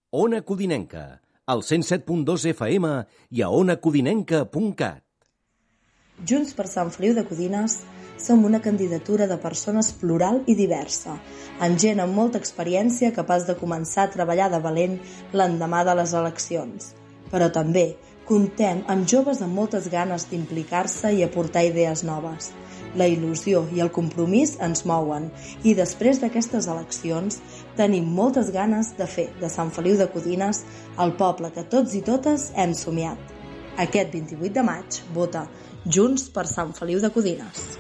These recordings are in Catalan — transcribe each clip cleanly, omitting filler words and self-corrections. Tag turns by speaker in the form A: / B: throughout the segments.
A: Ona Codinenca, al 107.2 FM i a onacodinenca.cat.
B: Junts per Sant Feliu de Codines som una candidatura de persones plural i diversa, amb gent amb molta experiència capaç de començar a treballar de valent l'endemà de les eleccions. Però també comptem amb joves amb moltes ganes d'implicar-se i aportar idees noves. La il·lusió i el compromís ens mouen i després d'aquestes eleccions tenim moltes ganes de fer de Sant Feliu de Codines el poble que tots i totes hem somiat. Aquest 28 de maig vota Junts per Sant Feliu de Codines.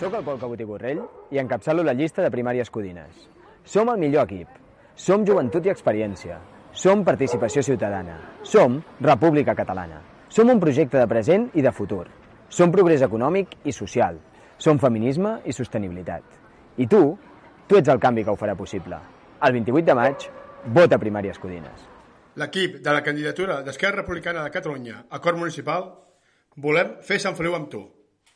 C: Soc el Pol Cabot i Borrell i encapçalo la llista de Primàries Codines. Som el millor equip. Som joventut i experiència. Som participació ciutadana. Som República Catalana. Som un projecte de present i de futur. Som progrés econòmic i social. Som feminisme i sostenibilitat. I tu ets el canvi que ho farà possible. El 28 de maig, vota Primàries Codines.
D: L'equip de la candidatura d'Esquerra Republicana de Catalunya a Cort Municipal volem fer Sant Feliu amb tu.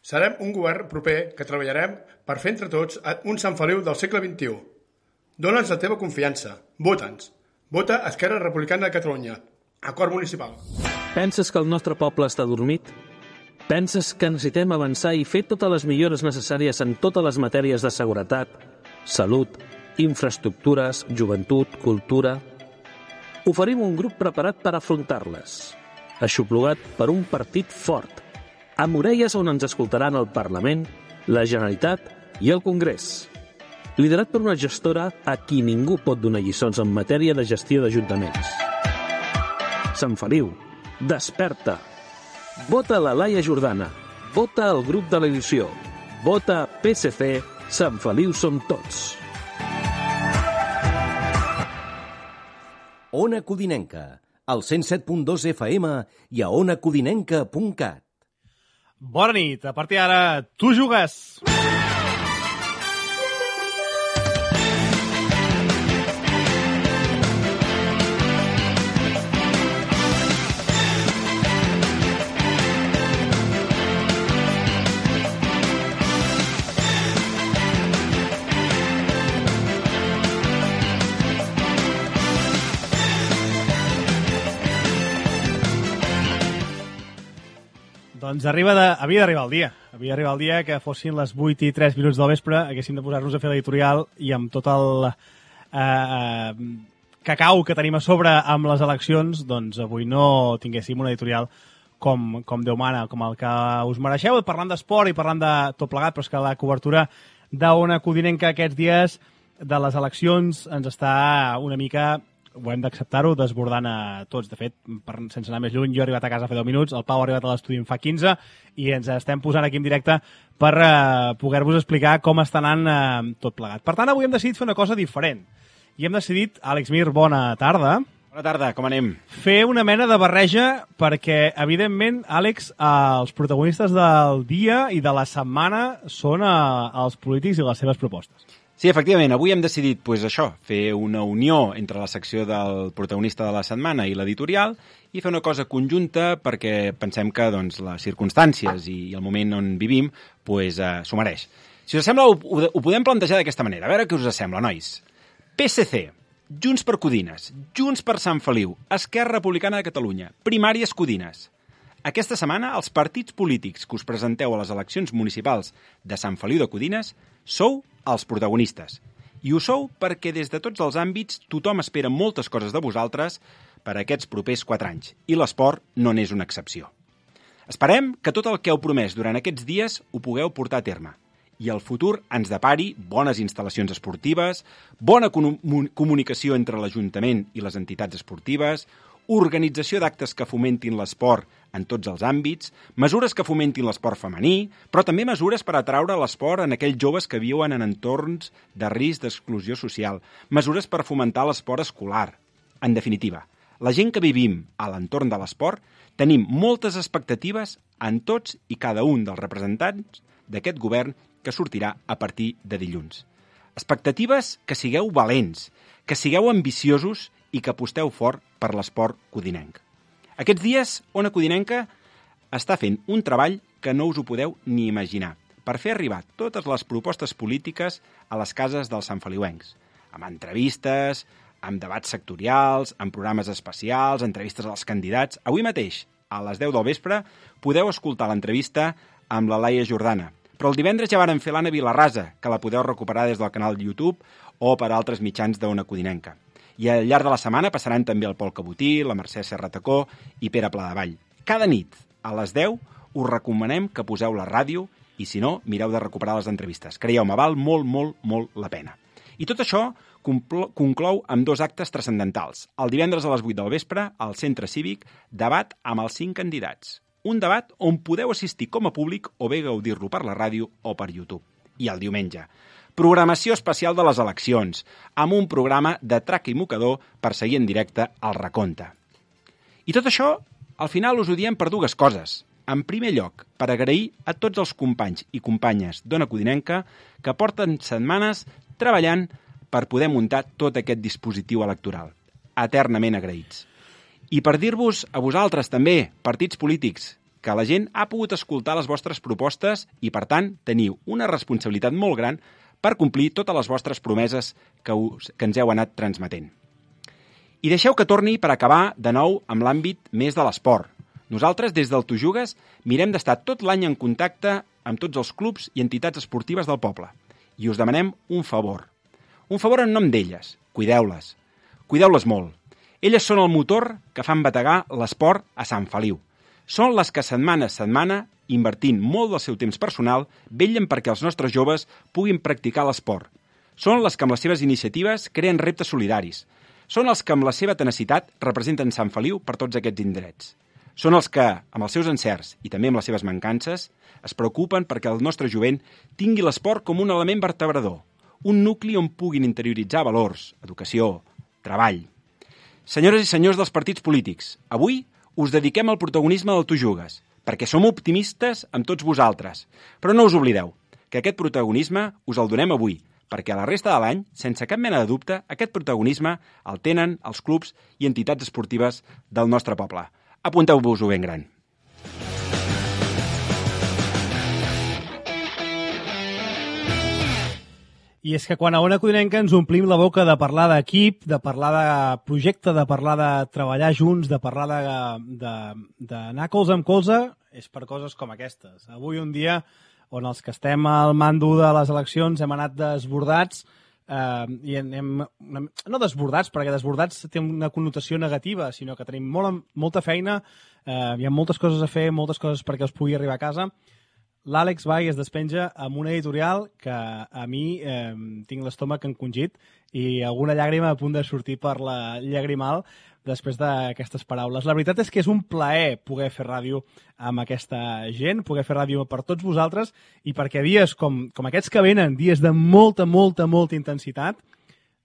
D: Serem un govern proper que treballarem per fer entre tots un Sant Feliu del segle XXI. Dóna'ns la teva confiança. Vota'ns. Vota Esquerra Republicana de Catalunya a Cort Municipal.
E: Penses que el nostre poble està dormit? Penses que necessitem avançar i fer totes les millores necessàries en totes les matèries de seguretat, salut, infraestructures, joventut, cultura? Oferim un grup preparat per afrontar-les, aixoplugat per un partit fort, amb orelles on ens escoltaran el Parlament, la Generalitat i el Congrés. Liderat per una gestora a qui ningú pot donar lliçons en matèria de gestió d'ajuntaments. Sant Feliu, desperta! Vota la Laia Jordana. Vota el grup de l'edició. Vota PSC. Sant Feliu som tots.
A: Ona Codinenca, al 107.2 FM i a onacodinenca.cat.
F: Bona nit. A partir d'ara, tu jugues. Doncs havia d'arribar el dia. Havia d'arribar el dia que fossin les 8:03 del vespre, haguéssim de posar-nos a fer l'editorial i amb tot el cacau que tenim a sobre amb les eleccions, doncs avui no tinguéssim una editorial com Déu mana, com el que us mereixeu, parlant d'esport i parlant de tot plegat, però és que la cobertura d'Ona Codinenca aquests dies de les eleccions ens està una mica, ho hem d'acceptar-ho, desbordant a tots. De fet, sense anar més lluny, jo he arribat a casa fa 10 minuts, el Pau ha arribat a l'estudi en fa 15 i ens estem posant aquí en directe per poder-vos explicar com està anant tot plegat. Per tant, avui hem decidit fer una cosa diferent. I hem decidit, Àlex Mir, bona tarda.
G: Bona tarda, com anem?
F: Fer una mena de barreja perquè, evidentment, Àlex, els protagonistes del dia i de la setmana són els polítics i les seves propostes.
G: Sí, efectivament, avui hem decidit això, fer una unió entre la secció del protagonista de la setmana i l'editorial i fer una cosa conjunta perquè pensem que les circumstàncies i el moment on vivim s'ho mereix. Si us sembla, ho podem plantejar d'aquesta manera. A veure què us sembla, nois. PSC, Junts per Codines, Junts per Sant Feliu, Esquerra Republicana de Catalunya, Primàries Codines. Aquesta setmana, els partits polítics que us presenteu a les eleccions municipals de Sant Feliu de Codines sou els protagonistes. I ho sou perquè des de tots els àmbits tothom espera moltes coses de vosaltres per a aquests propers 4 anys. I l'esport no n'és una excepció. Esperem que tot el que heu promès durant aquests dies ho pugueu portar a terme. I el futur ens depari bones instal·lacions esportives, bona comunicació entre l'Ajuntament i les entitats esportives, organització d'actes que fomentin l'esport en tots els àmbits, mesures que fomentin l'esport femení, però també mesures per atraure l'esport en aquells joves que viuen en entorns de risc d'exclusió social, mesures per fomentar l'esport escolar. En definitiva, la gent que vivim a l'entorn de l'esport tenim moltes expectatives en tots i cada un dels representants d'aquest govern que sortirà a partir de dilluns. Expectatives que sigueu valents, que sigueu ambiciosos i que aposteu fort per l'esport codinenc. Aquests dies, Ona Codinenca està fent un treball que no us ho podeu ni imaginar per fer arribar totes les propostes polítiques a les cases dels santfeliuencs, amb entrevistes, amb debats sectorials, amb programes especials, entrevistes als candidats. Avui mateix, a les 10 del vespre, podeu escoltar l'entrevista amb la Laia Jordana. Però el divendres ja varen fer l'Anna Vilarrasa, que la podeu recuperar des del canal YouTube o per altres mitjans d'Ona Codinenca. I al llarg de la setmana passaran també el Pol Cabotí, la Mercè Serratacó i Pere Pladevall. Cada nit, a les 10, us recomanem que poseu la ràdio i, si no, mireu de recuperar les entrevistes. Creieu-me, val molt, molt, molt la pena. I tot això conclou amb 2 actes transcendentals. El divendres a les 8 del vespre, al Centre Cívic, debat amb els 5 candidats. Un debat on podeu assistir com a públic o bé gaudir-lo per la ràdio o per YouTube. I el diumenge, programació especial de les eleccions, amb un programa de traca i mocador per seguir en directe el recompte. I tot això, al final us ho diem per 2 coses. En primer lloc, per agrair a tots els companys i companyes d'Ona Codinenca que porten setmanes treballant per poder muntar tot aquest dispositiu electoral. Eternament agraïts. I per dir-vos a vosaltres també, partits polítics, que la gent ha pogut escoltar les vostres propostes i, per tant, teniu una responsabilitat molt gran per complir totes les vostres promeses que ens heu anat transmetent. I deixeu que torni per acabar de nou amb l'àmbit més de l'esport. Nosaltres, des del Tu Jugues, mirem d'estar tot l'any en contacte amb tots els clubs i entitats esportives del poble. I us demanem un favor. Un favor en nom d'elles. Cuideu-les. Cuideu-les molt. Elles són el motor que fan bategar l'esport a Sant Feliu. Són les que setmana a setmana, invertint molt del seu temps personal, vetllen perquè els nostres joves puguin practicar l'esport. Són les que amb les seves iniciatives creen reptes solidaris. Són els que amb la seva tenacitat representen Sant Feliu per tots aquests indrets. Són els que, amb els seus encerts i també amb les seves mancances, es preocupen perquè el nostre jovent tingui l'esport com un element vertebrador, un nucli on puguin interioritzar valors, educació, treball. Senyores i senyors dels partits polítics, avui us dediquem al protagonisme del Tu Jugues, perquè som optimistes amb tots vosaltres. Però no us oblideu que aquest protagonisme us el donem avui, perquè a la resta de l'any, sense cap mena de dubte, aquest protagonisme el tenen els clubs i entitats esportives del nostre poble. Apunteu-vos-ho ben gran.
F: I és que quan a Ona Codinenca ens omplim la boca de parlar d'equip, de parlar de projecte, de parlar de treballar junts, de parlar d'anar colze amb colze, és per coses com aquestes. Avui un dia on els que estem al mando de les eleccions hem anat desbordats, i no desbordats, perquè desbordats té una connotació negativa, sinó que tenim molta feina, hi ha moltes coses a fer, moltes coses perquè us pugui arribar a casa. L'Àlex va i es despenja amb una editorial que a mi tinc l'estómac encongit i alguna llàgrima a punt de sortir per la llagrimal després d'aquestes paraules. La veritat és que és un plaer poder fer ràdio amb aquesta gent, poder fer ràdio per tots vosaltres i perquè dies com aquests que venen, dies de molta intensitat,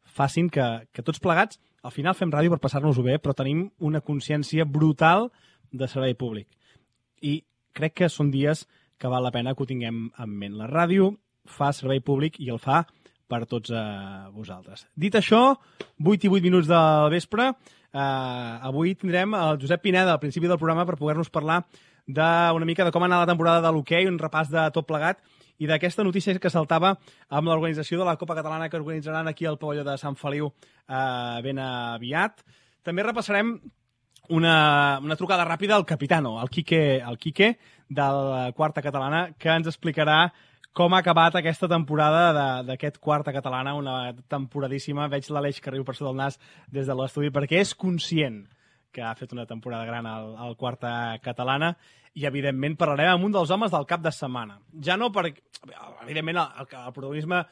F: facin que tots plegats al final fem ràdio per passar-nos-ho bé, però tenim una consciència brutal de servei públic. I crec que són dies que val la pena que ho tinguem en ment. La ràdio fa servei públic i el fa per tots vosaltres. Dit això, 8 i 8 minuts del vespre, avui tindrem el Josep Pineda al principi del programa per poder-nos parlar d'una mica de com ha anat la temporada de l'hoquei, un repàs de tot plegat i d'aquesta notícia que saltava amb l'organització de la Copa Catalana que organitzaran aquí al pavelló de Sant Feliu ben aviat. També repassarem una trucada ràpida al Capitano, al Quique de la Quarta Catalana, que ens explicarà com ha acabat aquesta temporada d'aquest Quarta Catalana, una temporadíssima. Veig l'Aleix que riu per sota del nas des de l'estudi, perquè és conscient que ha fet una temporada gran al Quarta Catalana i, evidentment, parlarem amb un dels homes del cap de setmana. Ja no perquè, evidentment, el protagonisme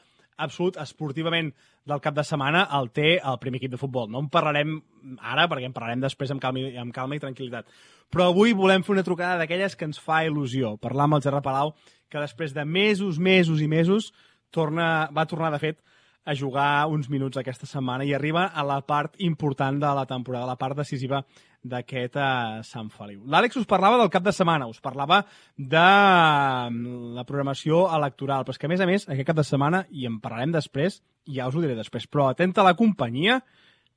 F: absolut esportivament del cap de setmana el té el primer equip de futbol. No en parlarem ara, perquè en parlarem després amb calma i tranquil·litat. Però avui volem fer una trucada d'aquelles que ens fa il·lusió. Parlar amb el Gerard Palau, que després de mesos i mesos va tornar, de fet, a jugar uns minuts aquesta setmana i arriba a la part important de la temporada, la part decisiva d'aquest Sant Feliu. L'Àlex us parlava del cap de setmana, us parlava de la programació electoral, però és que, a més, aquest cap de setmana, i en parlarem després, ja us ho diré després, però atenta a la companyia,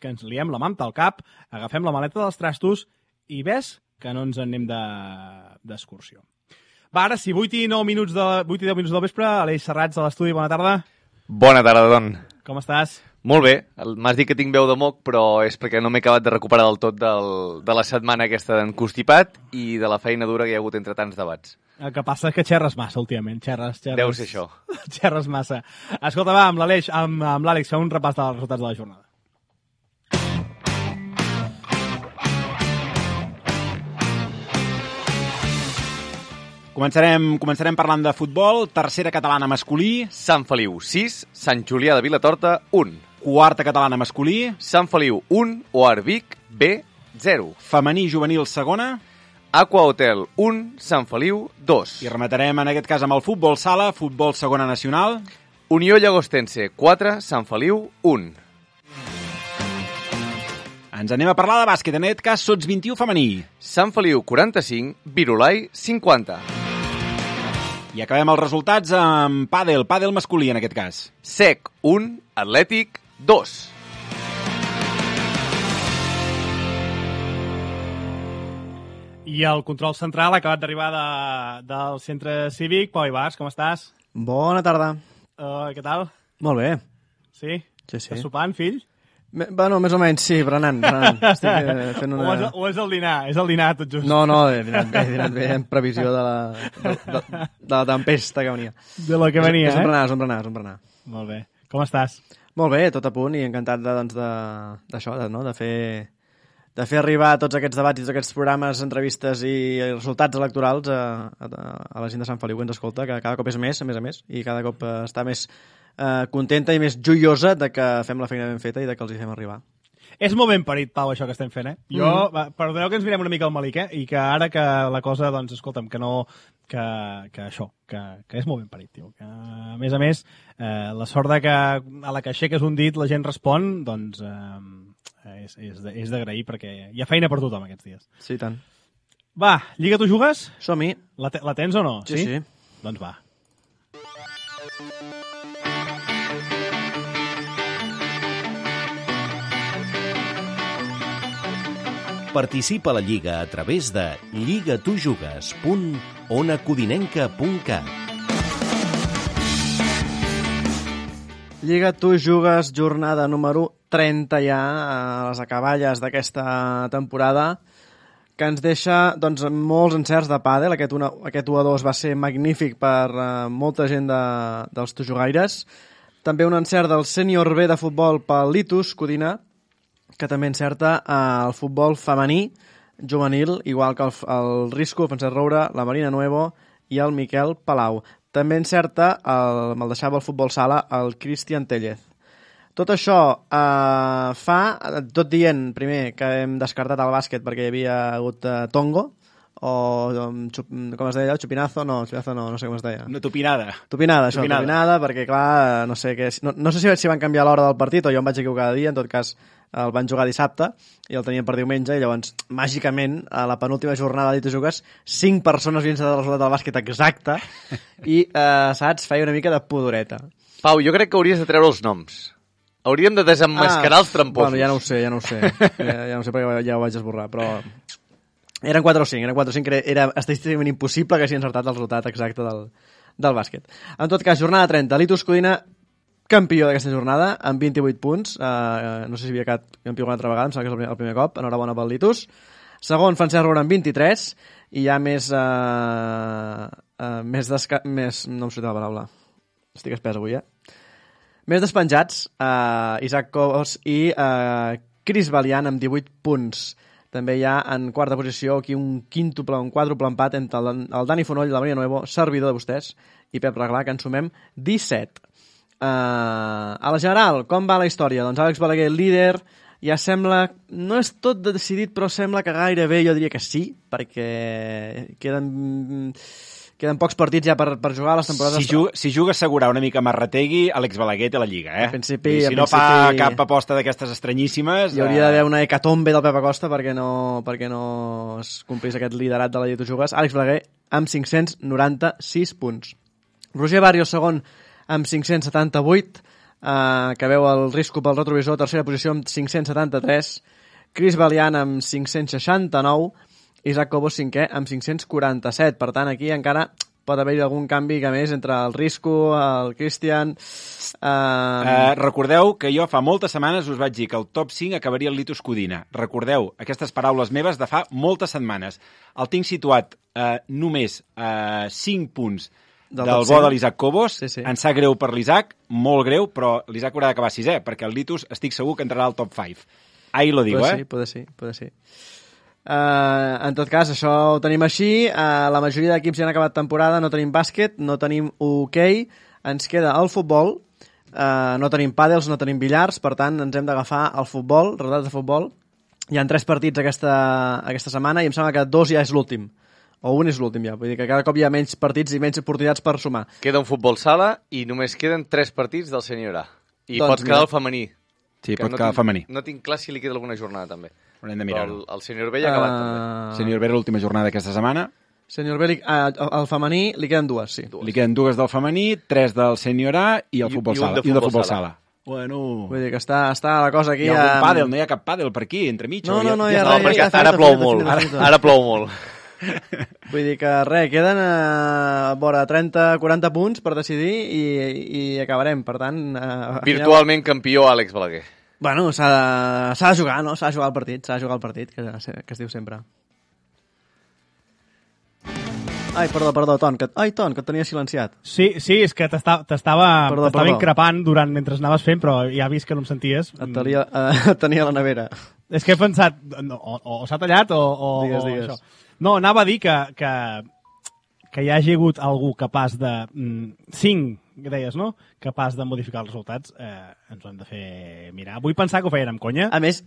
F: que ens liem la manta al cap, agafem la maleta dels trastos i ves que no ens en anem d'excursió. Va, ara sí, 8 i 10 minuts del vespre, Aleix Serrats a l'estudi, bona tarda.
H: Bona tarda, Don.
F: Com estàs?
H: Molt bé, m'has dit que tinc veu de moc, però és perquè no m'he acabat de recuperar del tot de la setmana aquesta d'enconstipat i de la feina dura que hi ha hagut entre tants debats.
F: El que passa és que xerres massa últimament, xerres.
H: Deu ser això.
F: Xerres massa. Escolta, va, amb l'Àlex, fem un repàs dels resultats de la jornada.
G: Començarem parlant de futbol. Tercera catalana masculí.
H: Sant Feliu, 6. Sant Julià de Vilatorta, 1.
G: Quarta catalana masculí.
H: Sant Feliu, 1. OAR Vic, B, 0.
G: Femení juvenil segona.
H: Aqua Hotel, 1. Sant Feliu, 2.
G: I rematarem en aquest cas amb el futbol sala, futbol segona nacional.
H: Unió Llagostense, 4. Sant Feliu, 1.
G: Ens anem a parlar de bàsquet, en aquest cas Sots 21 femení.
H: Sant Feliu, 45. Virolai, 50.
G: I acabem els resultats amb pàdel masculí, en aquest cas.
H: SEC, 1. Atlètic, 2.
F: I el control central ha acabat d'arribar del centre cívic. Pau Ibars, com estàs?
I: Bona tarda.
F: Què tal?
I: Molt bé.
F: Sí?
I: Sí.
F: Estàs sopant, fill?
I: Bueno, més o menys, sí, berenant. Estic fent una...
F: O és el dinar, tot just?
I: No, he dinat bé en previsió de la tempesta que venia.
F: De la que venia,
I: és un berenar.
F: Molt bé. Com estàs?
I: Molt bé, tot a punt i encantat d'això, de fer arribar tots aquests debats i tots aquests programes, entrevistes i resultats electorals a la gent de Sant Feliu que ens escolta, que cada cop és més, a més, i cada cop està més contenta i més joiosa de que fem la feina ben feta i de que els hi fem arribar.
F: És molt ben parit, Pau, això que estem fent, Jo, perdoneu que ens mirem una mica al malic, I que ara que la cosa, doncs, escolta'm, que no... Que és molt ben parit, tio. Que, a més, la sort de que a la que aixeques un dit la gent respon, doncs, és d'agrair perquè hi ha feina per tothom aquests dies.
I: Sí, tant.
F: Va, Lliga, tu jugues?
I: Som-hi.
F: La tens o no?
I: Sí.
F: Doncs va.
A: Participa a la Lliga a través de lligatujugues.onacodinenca.cat.
I: Lliga, tu jugues, jornada número 30 ja a les acaballes d'aquesta temporada, que ens deixa doncs, molts encerts de pàdel. Aquest 1-2 va ser magnífic per molta gent dels tujugaires. També un encert del sènior B de futbol pel Litus Codina, que també encerta el futbol femení juvenil, igual que el Risco, el Francesc Roura, la Marina Nuevo i el Miquel Palau. També encerta, me'l deixava el futbol sala, el Cristian Tellez. Tot això fa, tot dient, primer, que hem descartat el bàsquet perquè hi havia hagut tongo, o com es deia, xupinazo, no sé com es deia.
G: Una tupinada,
I: perquè clar, no sé si van canviar l'hora del partit o jo em vaig equivocar de dia, en tot cas el van jugar dissabte i el tenien per diumenge i llavors, màgicament, a la penúltima jornada de Jugues, 5 persones havien estat el resultat del bàsquet exacte i, saps, feia una mica de pudoreta.
H: Pau, jo crec que hauries de treure els noms. Hauríem de desemmascarar els tramposos.
I: Bueno, ja no ho sé. Ja no ho sé perquè ja ho vaig esborrar, però... Eren 4 o 5, era estadísticament impossible que hagi encertat el resultat exacte del bàsquet. En tot cas, jornada 30. Litus Codina, campió d'aquesta jornada, amb 28 punts. No sé si havia quedat campió una altra vegada, em sembla que és el primer cop. Enhorabona pel Litus. Segon, Francesc Roura, amb 23. I ja més no em surt la paraula. Estic espès avui, Més despenjats, Isaac Cobos i Cris Valiant, amb 18 punts. També hi ha en quarta posició aquí un quàdruple empat entre el Dani Fonoll, la Maria Nuevo, servidor de vostès, i Pep Reglà, que en sumem 17. A la general, com va la història? Doncs Àlex Balaguer, líder, ja sembla, no és tot decidit, però sembla que gairebé jo diria que sí, perquè queden pocs partits ja per jugar a les temporades.
G: Si juga a assegurar una mica Marrategui, Àlex Balaguer té la Lliga,
I: A principi,
G: si no fa cap aposta d'aquestes estranyíssimes...
I: Hi hauria d'haver una hecatombe del Pep Acosta perquè no es complís aquest liderat de la Lliga de Jugues. Àlex Balaguer amb 596 punts. Roger Barrios, segon, amb 578, que veu el Risco pel retrovisor, tercera posició amb 573, Cris Valiant amb 569, Isaac Cobos, cinquè, amb 547. Per tant, aquí encara pot haver-hi algun canvi que més entre el Risco, el Cristian...
G: Recordeu que jo fa moltes setmanes us vaig dir que el top 5 acabaria el Litus Codina. Recordeu aquestes paraules meves de fa moltes setmanes. El tinc situat només a 5 punts del bo de l'Isaac Cobos.
I: Sí.
G: Em sap greu per l'Isaac, molt greu, però l'Isaac haurà d'acabar 6è, perquè el Litus estic segur que entrarà al top 5. Ahí lo digo,
I: Puede ser. En tot cas, això ho tenim així. La majoria d'equips ja han acabat temporada, no tenim bàsquet, no tenim hoquei, ens queda el futbol, no tenim pàdels, no tenim billars, per tant ens hem d'agafar el futbol, resultats de futbol. Hi ha 3 partits aquesta setmana i em sembla que 2 ja és l'últim, o un és l'últim ja, vull dir que cada cop hi ha menys partits i menys oportunitats per sumar.
H: Queda un futbol sala i només queden 3 partits del Sènior A. I
I: Doncs
H: pots quedar el femení.
G: Sí, pot quedar el femení.
H: No tinc clar si li queda alguna jornada també.
G: Haurem de mirar-ho.
H: El Sènior B ja ha acabat també.
G: Sènior B era l'última jornada d'aquesta setmana.
I: Sènior B, el femení li queden 2, sí.
G: Li queden 2 del femení, 3 del Sènior A i el futbol sala. I un de futbol sala. Bueno...
I: Vull dir que està la cosa aquí...
G: Hi ha algun pàdel, no hi ha cap pàdel per aquí, entremig?
I: No, hi ha
H: res. Perquè ara plou molt. Ara plou molt.
I: Vull dir que res, queden vora 30-40 punts per decidir i acabarem, per tant...
H: Virtualment campió Àlex Balaguer.
I: Bueno, s'ha de jugar, no? S'ha de jugar el partit, que es diu sempre. Ai, perdó, Ton, que et tenia silenciat.
F: Sí, és que t'estava increpant mentre anaves fent, però ja he vist que no em senties.
I: Et tenia a la nevera.
F: És que he pensat, o s'ha tallat o
I: Digues.
F: això. No, anava a dir que hi hagi hagut algú capaç de... 5, que deies, no? Capaç de modificar els resultats, ens ho hem de fer mirar. Vull pensar que ho feien amb conya.
I: A més,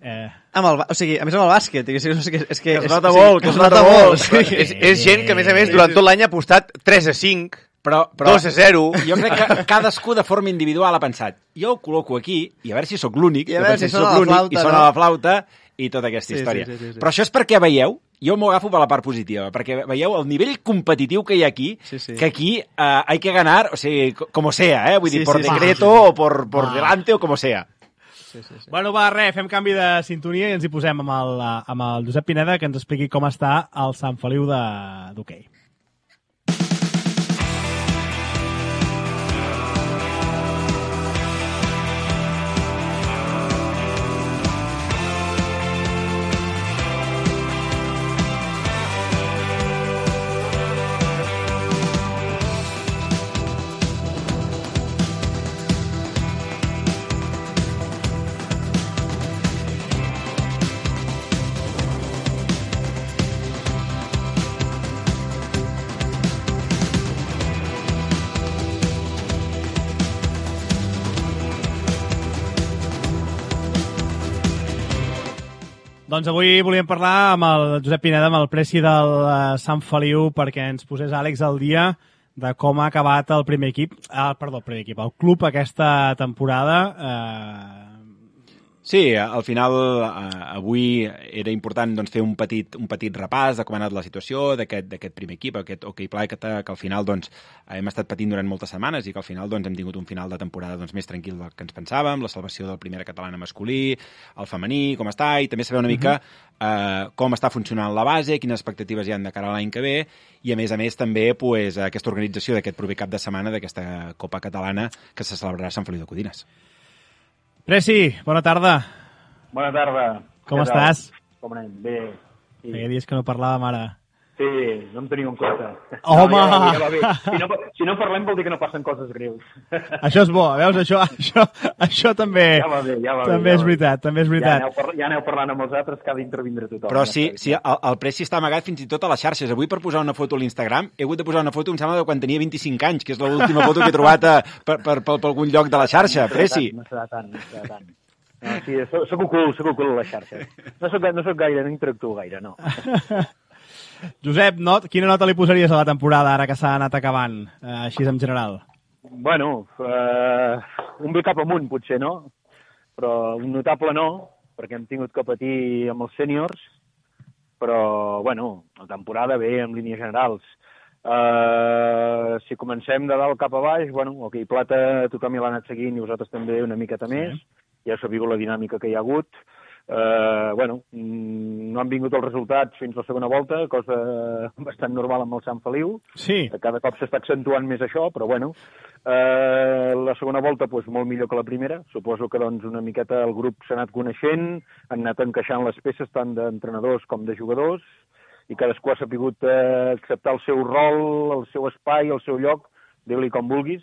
I: amb el bàsquet. És que
G: es nota molt, que es nota molt.
H: És gent que, a més, durant tot l'any ha apostat 3-5,
G: però
H: 2-0.
G: Jo crec que cadascú de forma individual ha pensat, jo ho col·loco aquí, i a veure si sóc l'únic,
I: i a veure si sona la
G: flauta, i tota aquesta història.
I: Sí.
G: Però això és perquè veieu, jo m'ho agafo per la part positiva, perquè veieu el nivell competitiu que hi ha aquí, que aquí hay que ganar, o sigui, como sea, vull dir, por decreto o por delante o como sea.
F: Sí. Bueno, va, fem canvi de sintonia i ens hi posem amb el Josep Pineda, que ens expliqui com està el Sant Feliu d'hoquei. Doncs avui volíem parlar amb el Josep Pineda, amb el presi del Sant Feliu, perquè ens posés Àlex al dia de com ha acabat el primer equip, el club aquesta temporada.
G: Sí, al final avui era important doncs, fer un petit repàs de com ha anat la situació d'aquest primer equip, aquest hoquei plata, que al final doncs, hem estat patint durant moltes setmanes i que al final doncs, hem tingut un final de temporada doncs, més tranquil del que ens pensàvem, la salvació del primera catalana masculí, el femení, com està, i també saber una mica com està funcionant la base, quines expectatives hi ha de cara a l'any que ve, i a més també pues, aquesta organització d'aquest proper cap de setmana d'aquesta Copa Catalana que se celebrarà a Sant Feliu de Codines.
F: Presi, bona tarda.
J: Bona tarda.
F: Com estàs?
J: Com anem? Bé.
F: Sí. Feia dies que no parlàvem ara.
J: Sí, no em teniu en compte.
F: Home!
J: No, ja va bé. Si no parlem vol dir que no passen coses greus.
F: Això és bo, veus? Això també, també és veritat.
J: Ja aneu parlant amb els altres que ha d'intervindre tothom.
G: Però sí, el Preci està amagat fins i tot a les xarxes. Avui per posar una foto a l'Instagram he hagut de posar una foto, em sembla, de quan tenia 25 anys, que és l'última foto que he trobat per algun lloc de la xarxa, Preci.
J: No serà tant. No, sí, soc ocult a les xarxes. No soc gaire, no interactuo gaire, no.
F: Josep, quina nota li posaries a la temporada ara que s'ha anat acabant, així en general?
J: Bueno, un bé cap amunt potser, no? Però un notable no, perquè hem tingut que patir amb els sèniors, però, bueno, la temporada bé en línies generals. Si comencem de dalt cap a baix, bueno, hoquei plata tothom ja l'ha anat seguint i vosaltres també una miqueta més, ja sabeu la dinàmica que hi ha hagut. No han vingut els resultats fins a la segona volta, cosa bastant normal amb el Sant Feliu.
F: Sí.
J: Cada cop s'està accentuant més això, però la segona volta molt millor que la primera. Suposo que una miqueta el grup s'ha anat coneixent, han anat encaixant les peces tant d'entrenadors com de jugadors, i cadascú ha sabut acceptar el seu rol, el seu espai, el seu lloc, digue-li com vulguis,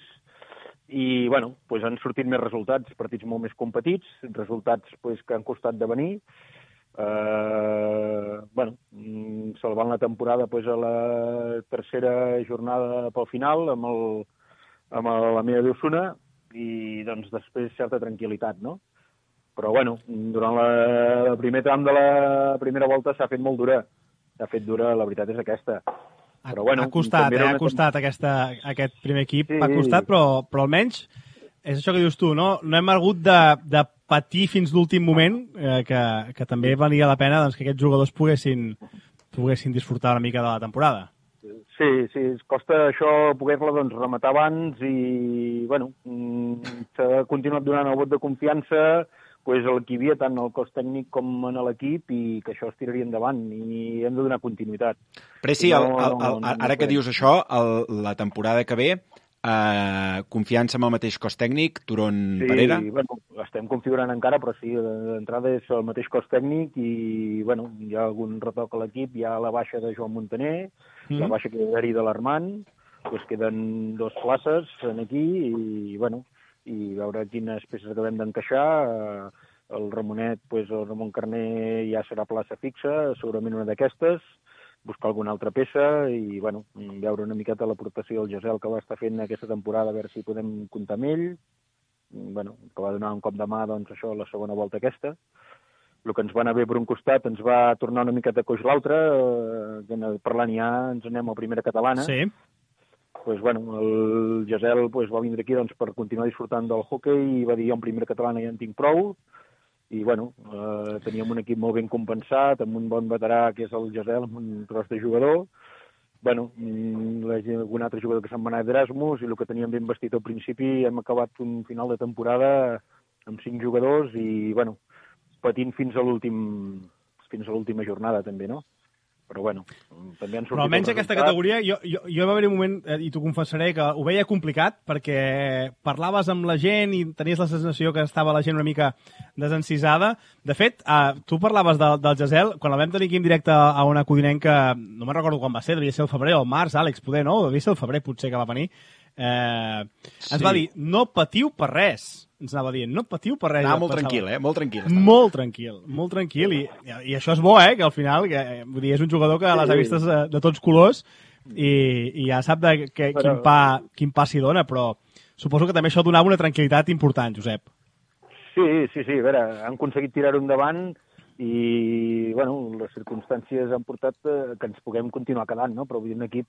J: i han sortit més resultats, partits molt més competits, resultats que han costat de venir, salvant la temporada a la tercera jornada pel final amb la meva d'Osona, i després certa tranquil·litat, no? Però durant el primer tram de la primera volta s'ha fet molt dura. S'ha fet dura, la veritat és aquesta. Però,
F: ha costat aquest primer equip, sí. Ha costat, però almenys és això que dius tu, no? No hem hagut de patir fins l'últim moment, que també valia la pena que aquests jugadors poguessin disfrutar una mica de la temporada.
J: Sí, costa això poder-la rematar abans i, s'ha continuat donant el vot de confiança el que hi havia tant al cos tècnic com en l'equip i que això es tiraria endavant i hem de donar continuïtat.
G: Preci, ara que dius això, la temporada que ve, confiança amb el mateix cos tècnic, Turón Parera?
J: Sí, estem configurant encara, però sí, d'entrada és el mateix cos tècnic i, hi ha algun retoc a l'equip, hi ha la baixa de Joan Montaner, la baixa que hi ha de l'Armand, queden 2 places aquí i veure quines peces acabem d'encaixar. El Ramonet, el Ramon Carner ja serà plaça fixa, segurament una d'aquestes, buscar alguna altra peça i veure una miqueta l'aportació del Gesel que va estar fent aquesta temporada, a veure si podem comptar amb ell, que va donar un cop de mà això a la segona volta aquesta. El que ens va anar bé per un costat ens va tornar una miqueta coix l'altre, parlant ja ens anem a primera catalana.
F: Sí.
J: El Gesel va vindre aquí per continuar disfrutant del hoquei i va dir jo en primera catalana ja en tinc prou i teníem un equip molt ben compensat amb un bon veterà que és el Gesel, amb un tros de jugador, algun altre jugador que se'n va anar d'Erasmus i el que teníem ben vestit al principi hem acabat un final de temporada amb 5 jugadors i patint fins a l'última jornada també, no? Però també han sortit...
F: Però almenys aquesta categoria, jo va haver un moment, i t'ho confessaré, que ho veia complicat, perquè parlaves amb la gent i tenies la sensació que estava la gent una mica desencisada. De fet, tu parlaves del Gesel, quan la vam tenir aquí en directe a una codinenca, no me'n recordo quan va ser, devia ser el febrer o el març, Àlex, poder, no? Devia ser el febrer, potser, que va venir. Ens va dir, no patiu per res. Ens anava dient, no patiu per res.
G: Molt tranquil, Molt tranquil.
F: Molt tranquil. I això és bo, que al final, vull dir, és un jugador que les ha vistes de tots colors i ja sap quin pa s'hi dona, però suposo que també això donava una tranquil·litat important, Josep.
J: Sí, a veure, han aconseguit tirar-ho endavant i, les circumstàncies han portat que ens puguem continuar quedant, no? Però vull dir, un equip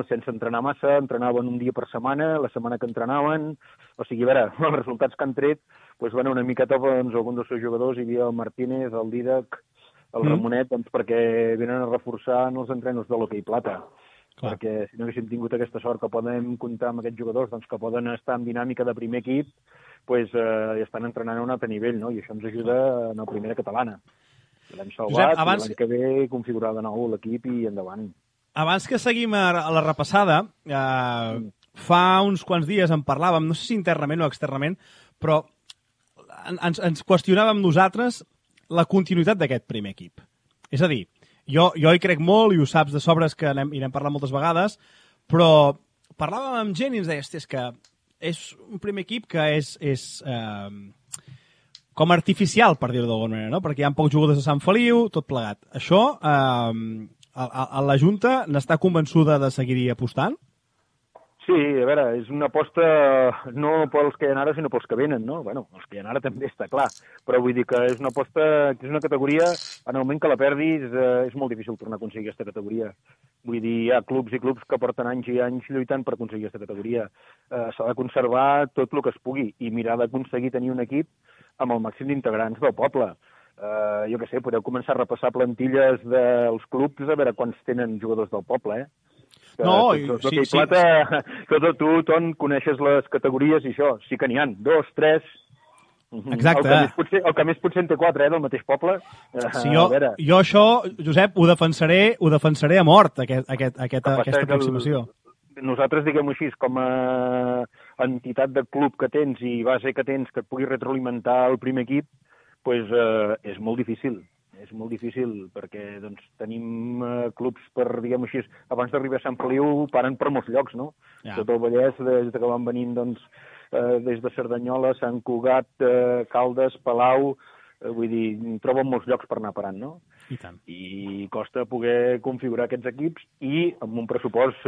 J: sense entrenar massa, entrenaven un dia per setmana, la setmana que entrenaven, o sigui, a veure, els resultats que han tret, una miqueta, algun dels seus jugadors, hi havia el Martínez, el Didac, el Ramonet, perquè venen a reforçar els entrenos de l'hoquei plata. Clar. Perquè si no haguéssim tingut aquesta sort que podem comptar amb aquests jugadors que poden estar en dinàmica de primer equip, estan entrenant a un altre nivell, no? I això ens ajuda en la primera catalana. L'hem salvat, Josep, l'any que ve configurar de nou l'equip i endavant.
F: Abans que seguim a la repassada, fa uns quants dies en parlàvem, no sé si internament o externament, però ens qüestionàvem nosaltres la continuïtat d'aquest primer equip. És a dir, jo hi crec molt i ho saps de sobres que n'hem parlat moltes vegades, però parlàvem amb gent i ens deia, és que és un primer equip que és com artificial, per dir-ho d'alguna manera, no? Perquè hi ha pocs jugadors de Sant Feliu, tot plegat. Això, la Junta n'està convençuda de seguir apostant?
J: Sí, a veure, és una aposta no pels que hi ha ara, sinó pels que venen, no? Bueno, els que hi ha ara també està clar, però vull dir que és una aposta, que és una categoria, en el moment que la perdis, és molt difícil tornar a aconseguir aquesta categoria. Vull dir, hi ha clubs i clubs que porten anys i anys lluitant per aconseguir aquesta categoria. S'ha de conservar tot el que es pugui i mirar d'aconseguir tenir un equip amb el màxim d'integrants del poble. Jo què sé, podeu començar a repassar plantilles dels clubs a veure quants tenen jugadors del poble,
F: No,
J: sí. Tu, Ton, coneixes les categories i això, sí que n'hi ha, 2, 3,
F: Exacte.
J: El que més potser en té 4, del mateix poble.
F: Sí, jo això, Josep, ho defensaré a mort, aquesta aproximació.
J: Nosaltres, diguem-ho així, com a entitat de club que tens i base que tens que et pugui retroalimentar el primer equip, doncs és molt difícil. És molt difícil perquè doncs, tenim clubs per, diguem-ho així, abans d'arribar a Sant Feliu paren per molts llocs, no? Ja. Tot el Vallès, des que van venint, doncs, des de Cerdanyola, Sant Cugat, Caldes, Palau, vull dir, troben molts llocs per anar parant, no?
F: I tant.
J: I costa poder configurar aquests equips i amb un pressupost,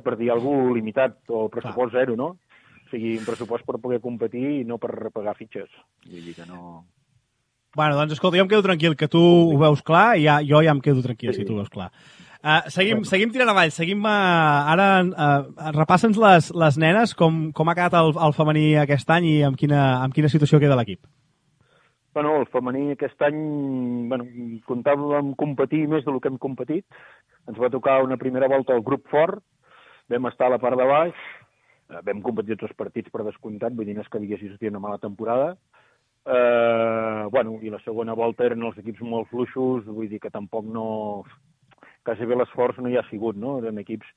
J: per dir alguna cosa, limitat, o pressupost zero, no? O sigui, un pressupost per poder competir i no per pagar fitxes. Vull dir que no...
F: Bueno, doncs escolta, jo em quedo tranquil, que tu ho veus clar, i jo ja em quedo tranquil si tu ho veus clar. Seguim tirant avall, ara repassa'ns les nenes, com ha quedat el femení aquest any i amb quina situació queda l'equip.
J: Bueno, el femení aquest any, comptàvem competir més del que hem competit. Ens va tocar una primera volta al grup fort, vam estar a la part de baix, vam competir tots els partits per descomptat, vull dir, no és que diguessis que una mala temporada. I la segona volta eren els equips molt fluixos, vull dir que tampoc no... Quasi bé l'esforç no hi ha sigut, no? Eren equips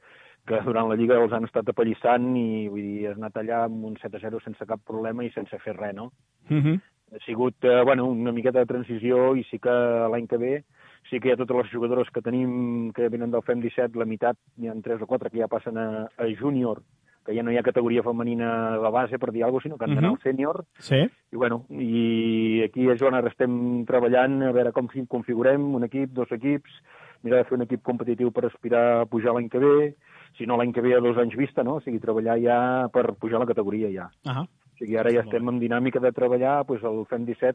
J: que durant la Lliga els han estat apallissant i, vull dir, has anat allà amb un 7-0 sense cap problema i sense fer res, no? Ha sigut, una miqueta de transició i sí que l'any que ve sí que hi ha totes les jugadores que tenim que venen del FEM 17, la meitat, n'hi ha 3 o 4 que ja passen a júnior, que ja no hi ha categoria femenina de base, per dir alguna cosa, sinó que han d'anar al sènior.
F: Sí.
J: I aquí a Joan ara estem treballant a veure com configurem un equip, 2 equips, mirar de fer un equip competitiu per aspirar a pujar l'any que ve, si no l'any que ve a 2 anys vista, no? O sigui, treballar ja per pujar la categoria ja. O sigui, ara ja estem en dinàmica de treballar, doncs el FEM 17,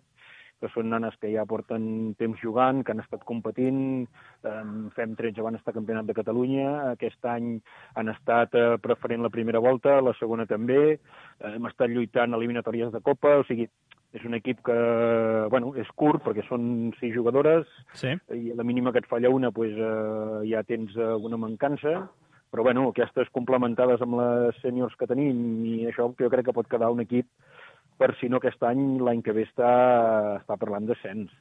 J: que són nanes que ja porten temps jugant, que han estat competint, FEM 13 van estar campionat de Catalunya, aquest any han estat preferent la primera volta, la segona també, hem estat lluitant eliminatòries de Copa, o sigui, és un equip que, és curt, perquè són 6 jugadores, i a la mínima que et falla una, ja tens una mancança, però aquestes complementades amb les sèniors que tenim, i això jo crec que pot quedar un equip per si no aquest any, l'any que ve està parlant d'ascens.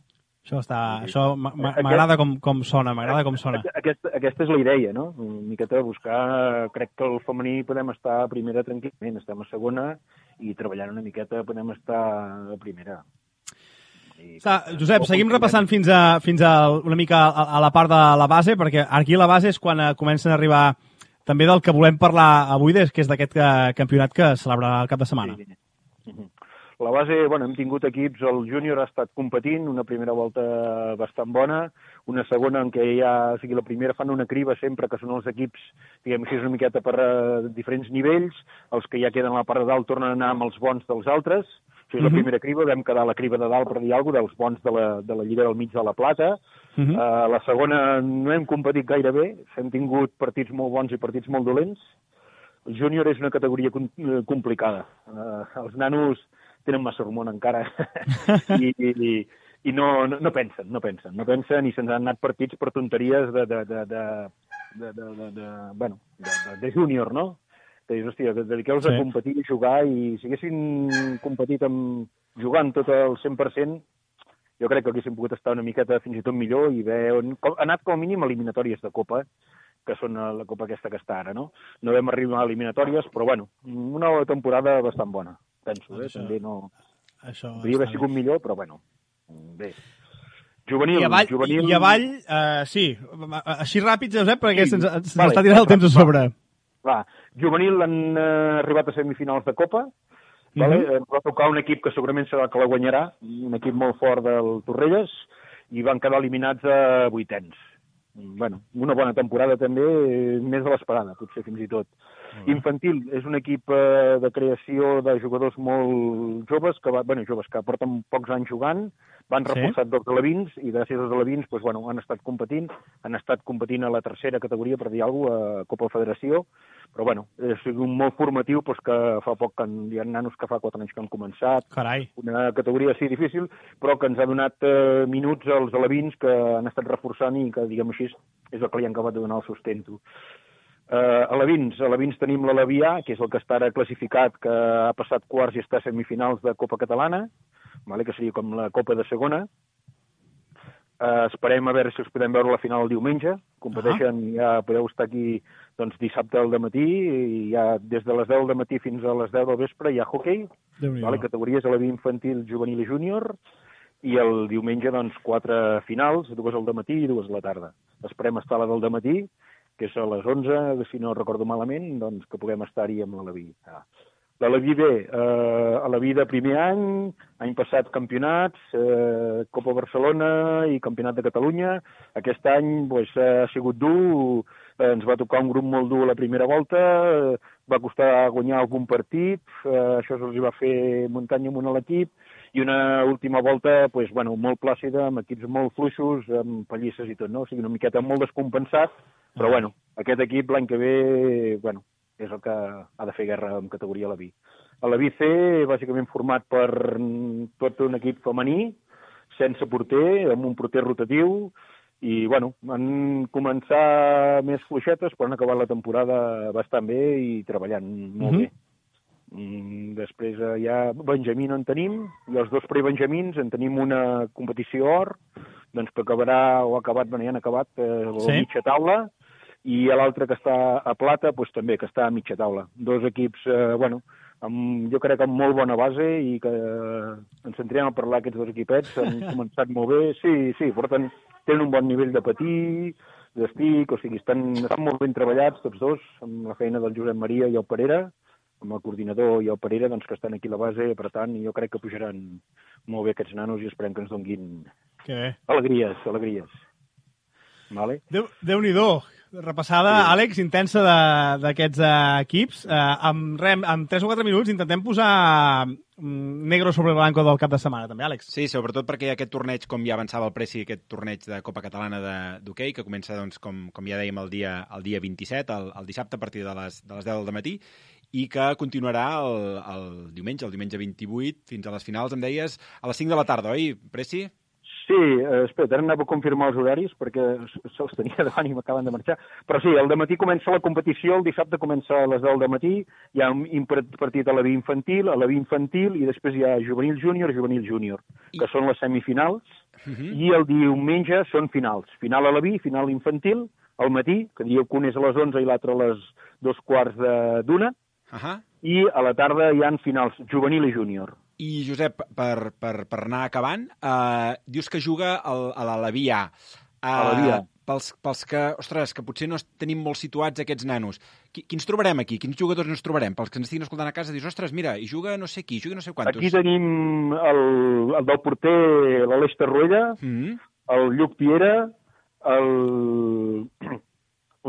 F: Això m'agrada com sona,
J: Aquesta és la idea, no? Una miqueta de buscar... Crec que el femení podem estar a primera tranquil·lament, estem a segona i treballant una miqueta podem estar a primera.
F: Josep, seguim repassant fins a una mica a la part de la base, perquè aquí la base és quan comencen a arribar també del que volem parlar avui, que és d'aquest campionat que es celebra el cap de setmana.
J: La base, hem tingut equips, el júnior ha estat competint, una primera volta bastant bona, una segona en què o sigui, la primera fan una criba sempre, que són els equips, diguem així, una miqueta per diferents nivells, els que ja queden a la part de dalt tornen a anar amb els bons dels altres, o sigui, la primera criba, vam quedar a la criba de dalt, per dir alguna cosa, dels bons de la Lliga del mig de la Plata, la segona no hem competit gaire bé, hem tingut partits molt bons i partits molt dolents, el júnior és una categoria complicada, els nanos tenen massa hormona encara i no pensen i se'ns han anat partits per tonteries de júnior, no? Que dius, hòstia, dediqueu-vos a competir i jugar, i si haguessin competit jugant tot el 100%, jo crec que haguéssim pogut estar una miqueta fins i tot millor i haver anat com a mínim a eliminatòries de Copa, que són la Copa aquesta que està ara, no? No vam arribar a eliminatòries, però una temporada bastant bona, penso, també no... Podria haver sigut millor, però bé. Juvenil.
F: I avall, sí, així ràpid, Josep, perquè se'ns està tirant el temps a sobre.
J: Juvenil han arribat a semifinals de Copa, va tocar un equip que segurament serà que la guanyarà, un equip molt fort del Torrelles, i van quedar eliminats a 8ens. Una bona temporada també, més de l'esperada, potser fins i tot. Infantil és un equip de creació de jugadors molt joves, que porten pocs anys jugant, van reforçat dels alevins, i gràcies als alevins han estat competint a la tercera categoria, per dir alguna cosa, a Copa Federació, però és molt formatiu, que fa poc hi ha nanos que fa 4 anys que han començat, una categoria sí difícil, però que ens ha donat minuts als alevins que han estat reforçant i que, diguem així, és el que li han acabat de donar el sustento. Alevins tenim l'Alevià, que és el que està ara classificat, que ha passat quarts i està a semifinals de Copa Catalana. que seria com la Copa de Segona. Esperem a veure si us podem veure la final el diumenge. Competeixen, ja podeu estar aquí doncs, dissabte al matí, i ja des de les 10 del matí fins a les 10 del vespre hi ha hoquei, categories a la infantil, juvenil i júnior, i el diumenge doncs, 4 finals, 2 al matí i 2 a la tarda. Esperem estar a la del matí, que és a les 11, si no recordo malament, doncs que puguem estar-hi amb l'Aleví. L'Aleví bé, Aleví de primer any passat campionats, Copa Barcelona i Campionat de Catalunya. Aquest any ha sigut dur, ens va tocar un grup molt dur a la primera volta, va costar guanyar algun partit, això se'ls va fer muntanya amunt a l'equip, i una última volta molt plàcida, amb equips molt fluixos, amb pallisses i tot, no? O sigui, una miqueta molt descompensat, però aquest equip l'any que ve, és el que ha de fer guerra en categoria Aleví. Aleví C, bàsicament format per tot un equip femení, sense porter, amb un porter rotatiu, i, van començar més fluixetes, però han acabat la temporada bastant bé i treballant molt bé. Després ja Benjamí no en tenim, i els 2 prebenjamins en tenim una competició or, doncs que acabarà, o ha acabat, ja han acabat, la mitja taula, i l'altre que està a plata, també, que està a mitja taula. 2 equips, jo crec que amb molt bona base, i que ens sentirem a parlar aquests 2 equipets, han començat molt bé, sí, tenen un bon nivell de patir, d'estic, o sigui, estan molt ben treballats tots 2, amb la feina del Josep Maria i el Parera, amb el coordinador i el Parera, doncs, que estan aquí a la base, per tant, jo crec que pujaran molt bé aquests nanos i esperem que ens donguin alegries. Vale?
F: Déu-n'hi-do. Repassada, Àlex, intensa d'aquests equips. En 3 o 4 minuts intentem posar negro sobre blanco del cap de setmana, també, Àlex.
G: Sí, sobretot perquè hi ha aquest torneig, com ja avançava el Preci, aquest torneig de Copa Catalana d'hoquei, que comença, doncs, com ja dèiem, el dia 27, el dissabte a partir de les 10 del matí, i que continuarà el diumenge 28, fins a les finals, em deies, a les 5 de la tarda, oi, Preci?
J: Sí, espera, ara anava a confirmar els horaris, perquè se'ls tenia davant i m'acaben de marxar. Però sí, el dematí comença la competició, el dissabte comença a les 10 del matí, hi ha un partit a la infantil, i després hi ha juvenil júnior, que són les semifinals, i el diumenge són finals. Final a la final infantil, al matí, que diu que un és a les 11 i l'altre a les 2:15, i a la tarda hi ha finals juvenil i júnior.
G: I, Josep, per anar acabant, dius que juga a l'Aleví A. Pels que, ostres, que potser no tenim molt situats aquests nanos, quins trobarem aquí? Quins jugadors ens trobarem? Pels que ens estiguin escoltant a casa, dius, ostres, mira, hi juga no sé qui, juga no sé quantos.
J: Aquí tenim el del porter, l'Aleix Tarruella, el Lluc Piera,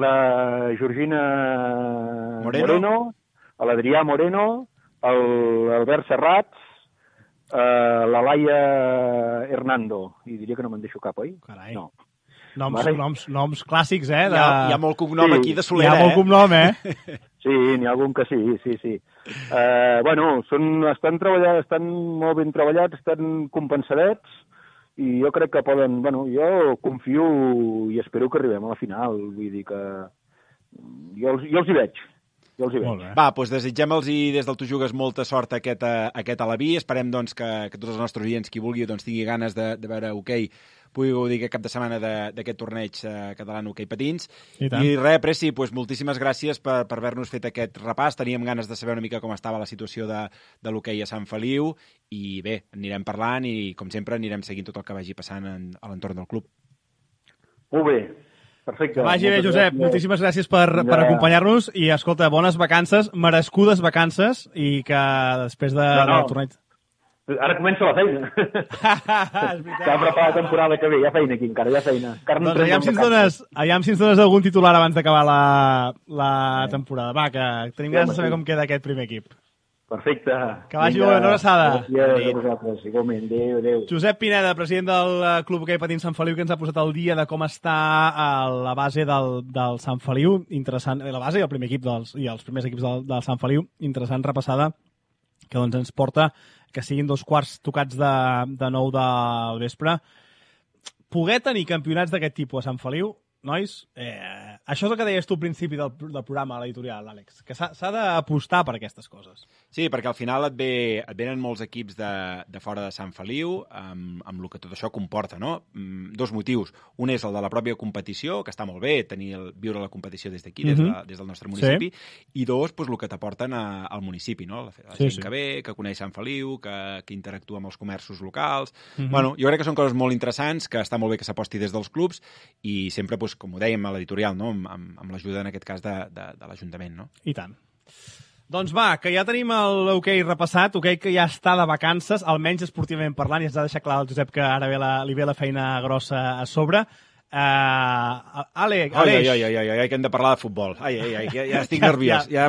J: la Georgina Moreno, l'Adrià Moreno, l'Albert Serrats, la Laia Hernando, i diria que no me'n deixo cap, oi?
F: Carai. No. Noms clàssics, eh?
G: Hi ha molt cognom aquí de Solera,
F: Hi ha molt cognom, eh?
J: Sí, n'hi ha algun que sí. Estan treballant, estan molt ben treballats, estan compensadets, i jo crec que poden... jo confio i espero que arribem a la final, vull dir que... Jo els hi veig.
G: Va, doncs desitgem-los i des del Tu Jugues molta sort a aquest Aleví. Esperem doncs, que tots els nostres oients, qui vulgui, doncs, tingui ganes de veure hoquei, pugui gaudir aquest cap de setmana d'aquest torneig català en hoquei patins. I res, Preci, doncs, moltíssimes gràcies per haver-nos fet aquest repàs. Teníem ganes de saber una mica com estava la situació de l'hoquei a Sant Feliu i bé, anirem parlant i, com sempre, anirem seguint tot el que vagi passant a l'entorn del club.
J: Molt bé. Perfecte.
F: Que vagi bé, Josep. Moltíssimes gràcies per acompanyar-nos i, escolta, bones vacances, merescudes vacances, i que després del torneig...
J: Ara comença la feina. S'ha preparat la temporada que ve. Hi ha feina aquí encara, hi ha feina.
F: Doncs aviam si ens dones algun titular abans d'acabar la temporada. Va, que tenim ganes de saber com queda aquest primer equip.
J: Perfecte.
F: Que vagi bé, una abraçada.
J: Gràcies a vosaltres, igualment. Adéu.
F: Josep Pineda, president del Club Hoquei Patins Sant Feliu, que ens ha posat al dia de com està la base del Sant Feliu. Interessant, la base i el primer equip i els primers equips del Sant Feliu. Interessant repassada, que doncs ens porta que siguin 2:15 tocats de 9 del vespre. Poder tenir campionats d'aquest tipus a Sant Feliu, nois, això és el que deies tu al principi del programa, a l'editorial, Àlex, que s'ha d'apostar per aquestes coses.
G: Sí, perquè al final et venen molts equips de fora de Sant Feliu amb el que tot això comporta, no? Dos motius. Un és el de la pròpia competició, que està molt bé, viure la competició des d'aquí, des del nostre municipi, i dos, doncs, el que t'aporten al municipi, no? La gent que ve, que coneix Sant Feliu, que interactua amb els comerços locals. Bueno, jo crec que són coses molt interessants, que està molt bé que s'aposti des dels clubs i sempre, doncs, com ho dèiem a l'editorial, no? Amb l'ajuda, en aquest cas, de l'Ajuntament, no?
F: I tant. Doncs va, que ja tenim l'hoquei repassat, hoquei que ja està de vacances, almenys esportivament parlant, i ens ha deixat clar el Josep que ara li ve la feina grossa a sobre. Aleix...
G: Ai, que hem de parlar de futbol. Ai, ja estic nerviós. Ja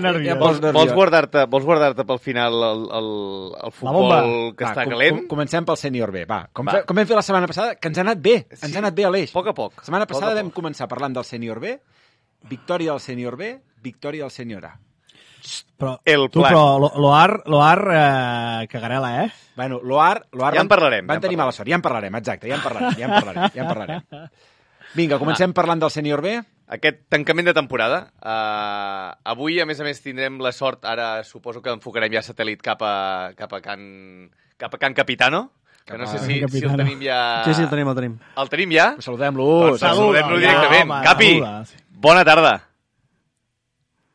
F: nerviós.
H: Vols guardar-te pel final el futbol que està calent?
G: Comencem pel sènior B. Va, com vam fer la setmana passada, que ens ha anat bé. Ens ha anat bé, Aleix.
H: A poc a poc.
G: La setmana passada vam començar parlant del sènior B, victòria del sènior B, victòria del sènior A.
F: Però l'OAR cagarela, eh?
G: Bueno, l'OAR
H: ja en parlarem.
G: Van tenir mala sort, ja en parlarem, exacte, ja en parlarem. Vinga, comencem parlant del sènior B.
H: Aquest tancament de temporada. Avui, a més, tindrem la sort, ara suposo que enfocarem ja satèl·lit cap a Can Capitano, que no sé si el tenim ja...
I: Sí, el tenim.
H: El tenim ja?
G: Pues saludem-lo.
H: Saludem-lo directament. Capi, bona tarda.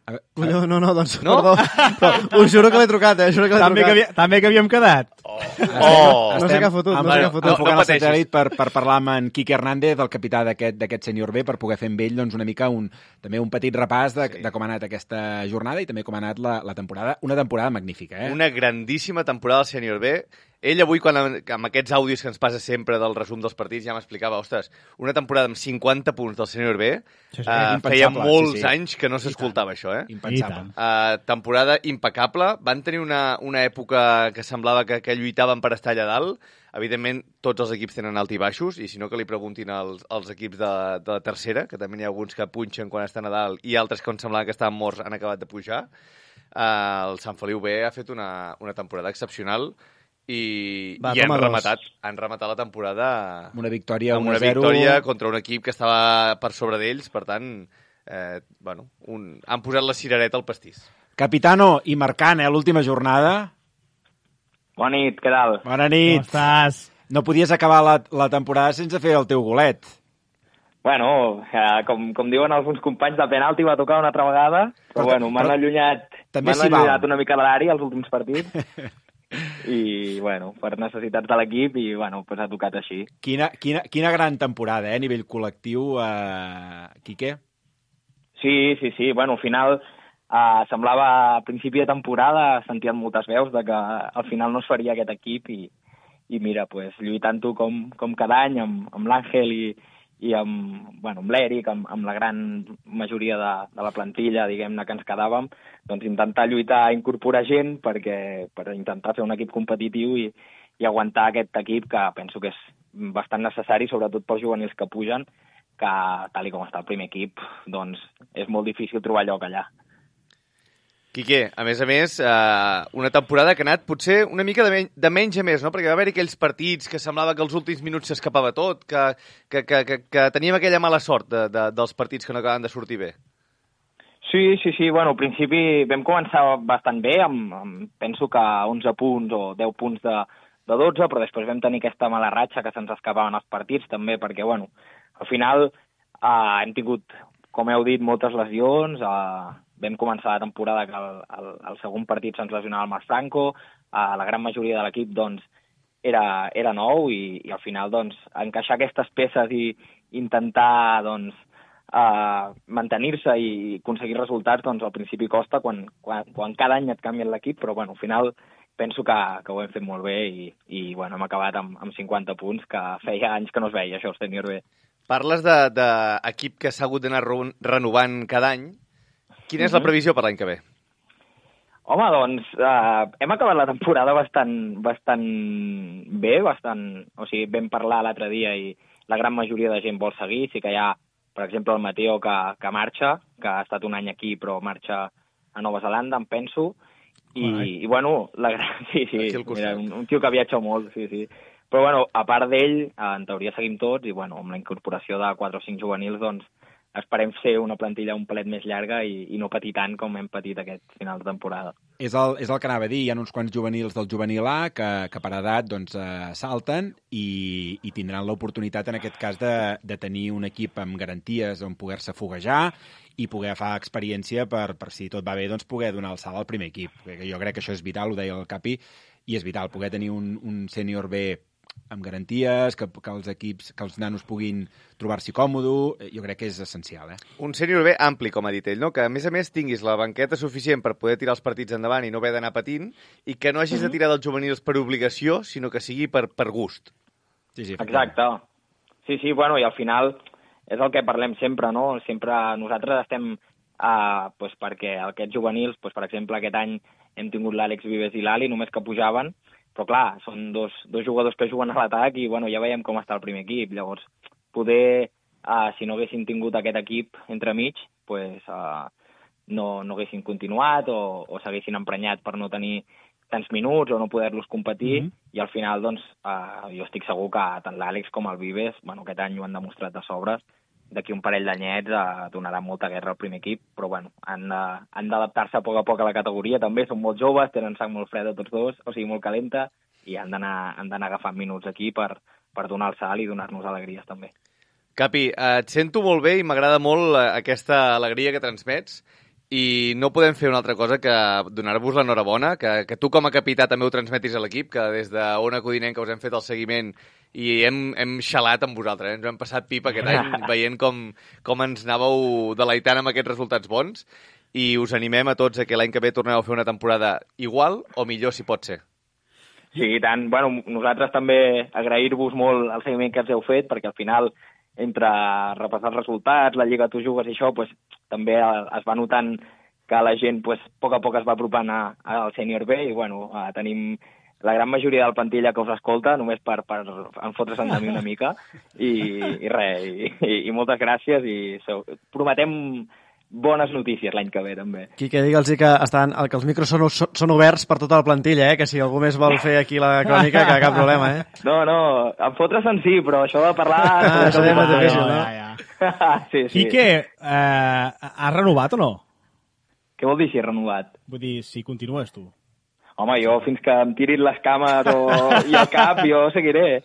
I: No, doncs, no? Perdó. Però us juro que l'he trucat,
F: També que havíem quedat.
I: No sé què ha fotut.
G: Enfocant el satèl·lit per parlar amb en Quique Hernández, el capità d'aquest sènior B, per poder fer amb ell doncs, una mica també un petit repàs de com ha anat aquesta jornada i també com ha anat la temporada. Una temporada magnífica, eh?
H: Una grandíssima temporada del sènior B. Ell avui, amb aquests àudios que ens passa sempre del resum dels partits, ja m'explicava, ostres, una temporada amb 50 punts del sènior B, feia molts anys que no s'escoltava això, eh?
G: Impensable.
H: Temporada impecable. Van tenir una època que semblava que lluitaven per estar allà dalt. Evidentment, tots els equips tenen alt i baixos, i si no que li preguntin als equips de la tercera, que també n'hi ha alguns que punxen quan estan a dalt, i altres que semblava que estaven morts han acabat de pujar. El Sant Feliu B ha fet una temporada excepcional, i han rematat la temporada
G: amb una victòria
H: contra un equip que estava per sobre d'ells. Per tant, han posat la cirereta al pastís.
G: Capitano, i marcant, l'última jornada.
K: Bona nit, què tal?
G: Bona nit.
F: Com estàs?
G: No podies acabar la temporada sense fer el teu golet.
K: Bueno, com diuen alguns companys, de penalti va tocar una altra vegada, però m'han allunyat una mica de l'àrea als últims partits. I, per necessitats de l'equip, i, ha tocat així.
G: Quina gran temporada, a nivell col·lectiu, Quique?
K: Sí. Al final, semblava a principi de temporada, sentien moltes veus de que al final no es faria aquest equip, i mira, lluitant-ho com cada any, amb l'Àngel i amb l'Eric, amb la gran majoria de la plantilla, diguem-ne, que ens quedàvem, doncs intentar lluitar a incorporar gent per intentar fer un equip competitiu i aguantar aquest equip, que penso que és bastant necessari, sobretot pels juvenils que pugen, que tal com està el primer equip, doncs és molt difícil trobar lloc allà.
H: Quique, a més, una temporada que ha anat potser una mica de menys a més, no? Perquè va haver-hi aquells partits que semblava que els últims minuts s'escapava tot, que teníem aquella mala sort dels partits que no acaben de sortir bé.
K: Sí. Al principi vam començar bastant bé, penso que 11 punts o 10 punts de 12, però després vam tenir aquesta mala ratxa que se'ns escapaven els partits també, perquè, al final hem tingut, com heu dit, moltes lesions. Vam començar la temporada que el segon partit se'ns lesionava el Marc Franco, la gran majoria de l'equip doncs, era nou, i al final doncs, encaixar aquestes peces i intentar doncs, mantenir-se i aconseguir resultats, doncs al principi costa quan cada any et canvien l'equip, però al final penso que ho hem fet molt bé i hem acabat amb 50 punts, que feia anys que no es veia això, el sènior B.
H: Parles d'equip que s'ha hagut d'anar renovant cada any. Quina és la previsió per l'any que ve?
K: Home, doncs, hem acabat la temporada bastant bé, o sigui, vam parlar l'altre dia i la gran majoria de gent vol seguir. Sí que hi ha, per exemple, el Mateo que marxa, que ha estat un any aquí però marxa a Nova Zelanda, em penso, i mira, un tio que viatja molt, sí. Però, a part d'ell, en teoria seguim tots, i, amb la incorporació de 4 o 5 juvenils, doncs, esperem ser una plantilla un palet més llarga i no patir tant com hem patit aquest final de temporada.
G: És el que anava a dir, hi ha uns quants juvenils del juvenil A que per edat doncs, salten i tindran l'oportunitat en aquest cas de tenir un equip amb garanties on poder-se foguejar i poder agafar experiència per si tot va bé, doncs poder donar el salt al primer equip. Jo crec que això és vital, ho deia el Capi, i és vital poder tenir un sènior B amb garanties, que els equips, que els nanos puguin trobar-s'hi còmodo, jo crec que és essencial.
H: Un sènior B ampli, com ha dit ell, no? Que a més tinguis la banqueta suficient per poder tirar els partits endavant i no haver d'anar patint, i que no hagis de tirar dels juvenils per obligació, sinó que sigui per gust.
G: Sí,
K: exacte. Sí, bueno, i al final és el que parlem sempre, no? Sempre nosaltres estem perquè aquests juvenils, per exemple, aquest any hem tingut l'Àlex Vives i l'Ali, només que pujaven, però clar, són dos jugadors que juguen a l'atac i bueno, ja veiem com està el primer equip. Llavors, poder, si no haguessin tingut aquest equip entremig, no haguessin continuat o s'haguessin emprenyat per no tenir tants minuts o no poder-los competir, i al final doncs, jo estic segur que tant l'Àlex com el Vives, bueno, aquest any ho han demostrat de sobres, d'aquí un parell d'anyets donaran molta guerra al primer equip, però bueno, han d'adaptar-se a poc a la categoria també, són molt joves, tenen sang molt freda tots dos, o sigui, molt calenta, i han d'anar agafant minuts aquí per donar el salt i donar-nos alegries també.
H: Capi, et sento molt bé i m'agrada molt aquesta alegria que transmets, i no podem fer una altra cosa que donar-vos l'enhorabona, que tu com a capità també ho transmetis a l'equip, que des d'Ona Codinenca us hem fet el seguiment i hem xalat amb vosaltres, ens ho hem passat pipa aquest any veient com ens anàveu deleitant amb aquests resultats bons, i us animem a tots a que l'any que ve torneu a fer una temporada igual o millor si pot ser.
K: Sí, i tant. Bueno, nosaltres també agrair-vos molt el seguiment que ens heu fet, perquè al final entre repassar els resultats, la Lliga Tu Jugues i això, també es va notant que la gent a poc es va apropant al sènior B i bueno, tenim la gran majoria del plantilla que us escolta, només per enfotre's-en de mi una mica i res, i moltes gràcies i prometem bones notícies l'any que ve, també.
I: Quique, digue'ls que els micros són oberts per tota la plantilla, que si algú més vol fer aquí la crònica, que cap problema,
K: No, enfotre's-en sí, però això de parlar...
I: això és molt difícil, no?
K: Sí.
F: Quique, has renovat o no?
K: Què vol dir si he renovat?
F: Vull dir, si continues tu.
K: Home, jo fins que em tirin les cames i el cap, jo seguiré.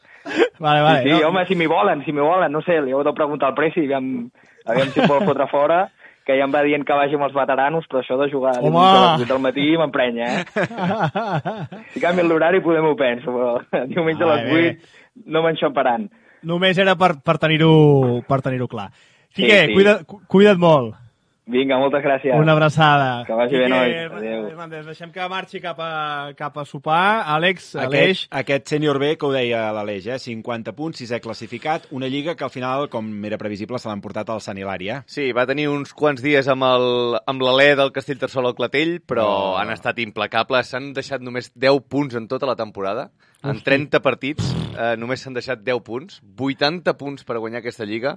F: Vale.
K: Sí, home, si m'hi volen, no sé, li heu de preguntar al Presi, aviam si em vol fotre fora, que ja em va dient que vagi amb els veteranos, però això de jugar a les 8 del matí m'emprenya, Si canvien l'horari podem-ho penso, però diumenge a les 8 no m'enxamparan.
F: Només era per tenir-ho clar. Quique, cuida't molt.
K: Vinga, moltes gràcies.
F: Una abraçada.
K: Que vagi bé, nois. Adéu.
F: Deixem que marxi cap a sopar. Àlex, Aleix...
G: Aquest sènior B, que ho deia l'Aleix, 50 punts, 6è classificat, una lliga que al final, com era previsible, se l'han portat al Sant Hilari,
H: Sí, va tenir uns quants dies amb l'alè del Castellterçol al Clatell, però han estat implacables. S'han deixat només 10 punts en tota la temporada. En 30 partits només s'han deixat 10 punts. 80 punts per guanyar aquesta lliga.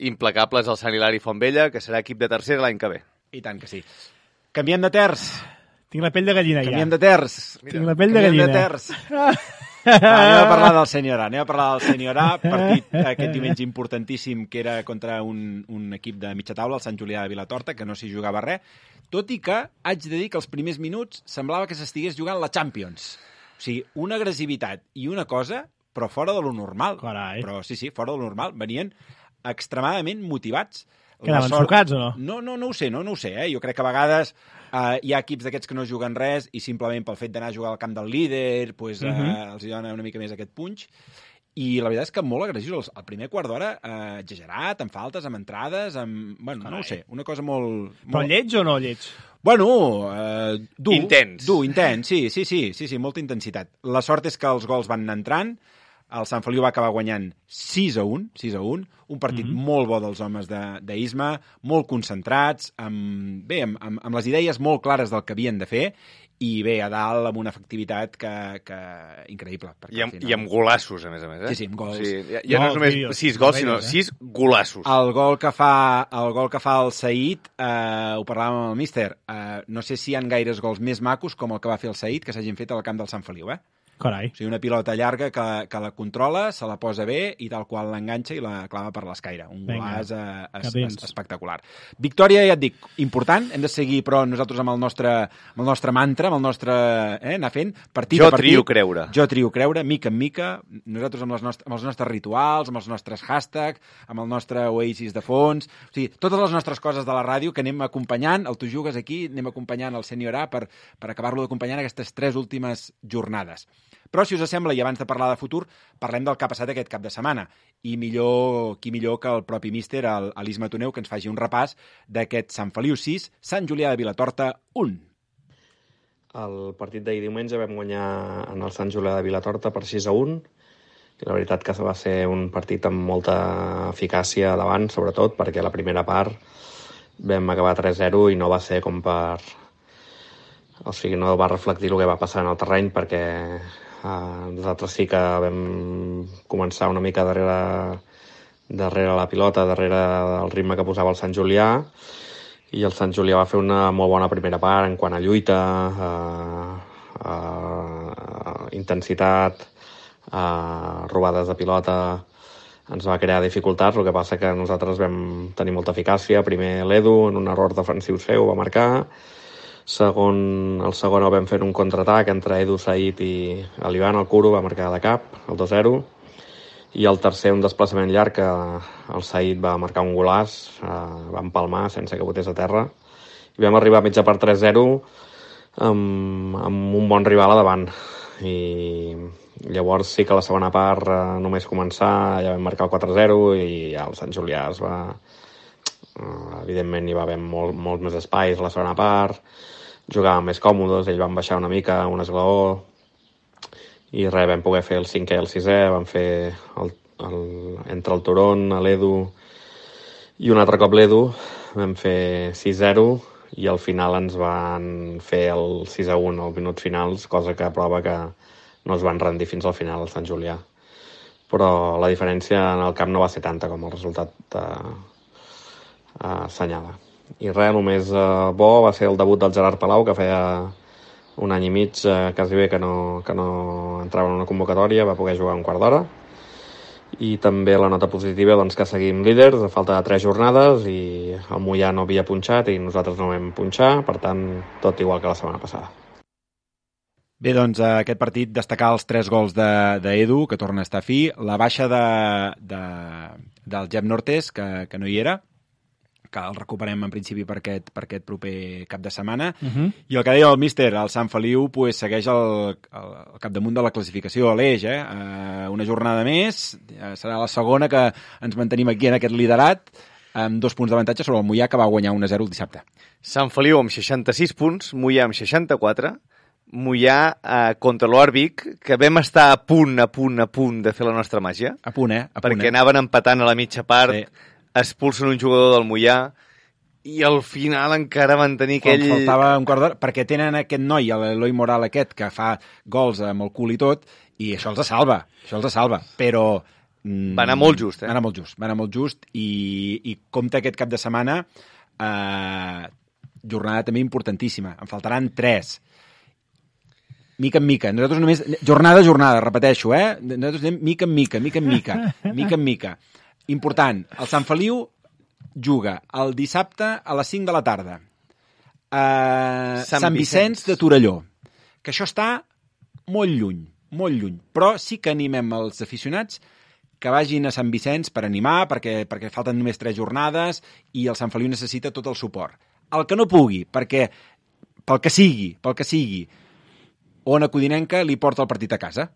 H: Implacables al Sant Hilari Fontvella, que serà equip de tercera l'any que ve.
G: I tant que sí. Canviem de terç.
F: Tinc la pell de gallina ja.
G: Canviem de terç.
F: Tinc la pell de gallina.
G: Canviem de terç. Anem a parlar del sènior A. Partit aquest diumenge importantíssim que era contra un equip de mitja taula, el Sant Julià de Vilatorta, que no s'hi jugava res, tot i que haig de dir que els primers minuts semblava que s'estigués jugant la Champions. O sigui, una agressivitat i una cosa... però fora de lo normal.
F: Carai.
G: Però sí, fora de lo normal. Venien extremadament motivats.
F: Quedaven sucats o no?
G: No ho sé. Jo crec que a vegades hi ha equips d'aquests que no juguen res i simplement pel fet d'anar a jugar al camp del líder els hi dona una mica més aquest punx. I la veritat és que molt agressius. El primer quart d'hora exagerat, amb faltes, amb entrades, no ho sé, una cosa molt...
F: Però lleig o no lleig?
G: Bueno, dur.
H: Intens.
G: Sí, molta intensitat. La sort és que els gols van anar entrant. El Sant Feliu va acabar guanyant 6-1, un partit molt bo dels homes d'Isma, molt concentrats, amb les idees molt clares del que havien de fer, i bé, a dalt amb una efectivitat que increïble.
H: I amb golassos, a més.
G: Sí, amb gols.
H: Ja no és només 6 gols, sinó 6 golassos.
G: El gol que fa el Saïd, ho parlàvem amb el míster, no sé si hi ha gaires gols més macos com el que va fer el Saïd que s'hagin fet al camp del Sant Feliu,
F: Carai.
G: O sigui, una pilota llarga que la controla, se la posa bé i tal qual l'enganxa i la clava per l'escaire. Un golaç espectacular. Victòria, ja et dic, important. Hem de seguir, però, nosaltres amb el nostre mantra, amb el nostre... anar fent partit a partit.
H: Jo
G: trio creure, mica en mica. Nosaltres amb els nostres rituals, amb els nostres hashtags, amb el nostre Oasis de fons. O sigui, totes les nostres coses de la ràdio que anem acompanyant, el Tu Jugues aquí, anem acompanyant el Sènior A per acabar-lo d'acompanyar en aquestes 3 últimes jornades. Però, si us sembla, i abans de parlar de futur, parlem del que ha passat aquest cap de setmana. I qui millor que el propi míster, l'Elis Matoneu, que ens faci un repàs d'aquest Sant Feliu 6, Sant Julià de Vilatorta 1.
L: El partit d'ahir diumenge vam guanyar en el Sant Julià de Vilatorta per 6-1. I la veritat que va ser un partit amb molta eficàcia davant, sobretot, perquè la primera part vam acabar 3-0 i no va ser com per... O sigui, no va reflectir el que va passar en el terreny, perquè nosaltres sí que vam començar una mica darrere la pilota, darrere el ritme que posava el Sant Julià, i el Sant Julià va fer una molt bona primera part en quant a lluita, intensitat, robades de pilota, ens va crear dificultats. El que passa que nosaltres vam tenir molta eficàcia. Primer l'Edu, en un error defensiu seu, va marcar. El segon el vam fer un contraatac entre Edu, Said i l'Ivan, el Curo, va marcar de cap, el 2-0. I el tercer, un desplaçament llarg, que el Said va marcar un golaç, va empalmar sense que botés a terra. I vam arribar a mitja part 3-0 amb un bon rival a davant. I llavors sí que la segona part, només començar, ja vam marcar el 4-0 i ja el Sant Julià es va... Evidentment hi va haver molt més espais a la segona part, jugàvem més còmodes, ells van baixar una mica, un esglaó, i vam poder fer el 5è i el 6è, vam fer entre el Turon, l'Edu i un altre cop l'Edu, vam fer 6-0 i al final ens van fer el 6-1 als minuts finals, cosa que prova que no es van rendir fins al final al Sant Julià. Però la diferència en el camp no va ser tanta com el resultat assenyala. I res, el més bo va ser el debut del Gerard Palau, que feia un any i mig quasi bé que no entrava en una convocatòria, va poder jugar un quart d'hora. I també la nota positiva, doncs, que seguim líders a falta de 3 jornades i el Moià no havia punxat i nosaltres no vam punxar, per tant, tot igual que la setmana passada.
G: Bé, doncs, aquest partit destacar els 3 gols d'Edu, que torna a estar fi, la baixa del Jep Nortes, que no hi era, que el recuperem en principi per aquest proper cap de setmana. I el que deia el míster, el Sant Feliu segueix al capdamunt de la classificació a l'Eix. Una jornada més, serà la segona que ens mantenim aquí en aquest liderat, amb 2 punts d'avantatge sobre el Moià, que va guanyar 1-0 el dissabte.
H: Sant Feliu amb 66 punts, Moià amb 64, Moià contra l'Oar Vic, que vam estar a punt de fer la nostra màgia.
G: A punt,
H: perquè anaven empatant a la mitja part, expulsen un jugador del Moià i al final encara van tenir aquell...
G: Faltava un quart d'hora, perquè tenen aquest noi, l'Eloi Moral aquest, que fa gols amb el cul i tot, i això els salva, però...
H: Va anar molt just,
G: Va anar molt just, i compta aquest cap de setmana, jornada també importantíssima, en faltaran 3. Mica en mica, nosaltres només... Jornada a jornada, repeteixo, nosaltres anem mica en mica. Important, el Sant Feliu juga el dissabte a les 5 de la tarda a Sant Vicenç de Torelló, que això està molt lluny, però sí que animem els aficionats que vagin a Sant Vicenç per animar, perquè falten només 3 jornades i el Sant Feliu necessita tot el suport. El que no pugui, perquè pel que sigui, Ona Codinenca li porta el partit a casa.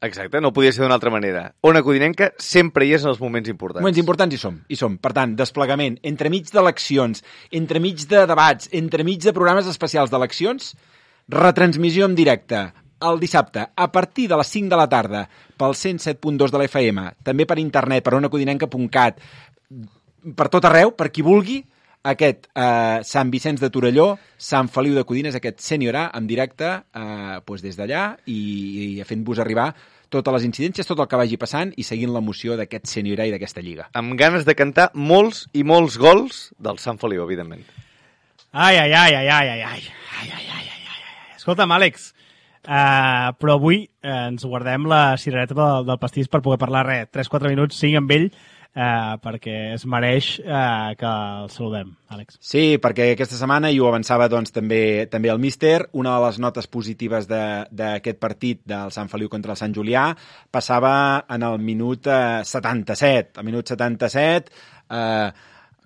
H: Exacte, no podia ser d'una altra manera. Ona Codinenca sempre hi és en els moments importants.
G: Moments importants hi som. Per tant, desplegament, entremig d'eleccions, entremig de debats, entremig de programes especials d'eleccions, retransmissió en directe el dissabte a partir de les 5 de la tarda pel 107.2 de la FM, també per internet, per onacodinenca.cat, per tot arreu, per qui vulgui, aquest Sant Vicenç de Torelló, Sant Feliu de Codines, aquest Sènior A en directe des d'allà i fent-vos arribar totes les incidències, tot el que vagi passant i seguint l'emoció d'aquest Sènior A i d'aquesta lliga.
H: Amb ganes de cantar molts i molts gols del Sant Feliu, evidentment.
F: Ai. Escolta'm, Àlex, Però avui ens guardem la cirereta del pastís per poder parlar 3-4 minuts, 5 amb ell, perquè es mereix que el saludem, Àlex.
G: Sí, perquè aquesta setmana, i ho avançava doncs, també el míster, una de les notes positives d'aquest partit del Sant Feliu contra el Sant Julià passava en el minut 77. Al minut 77,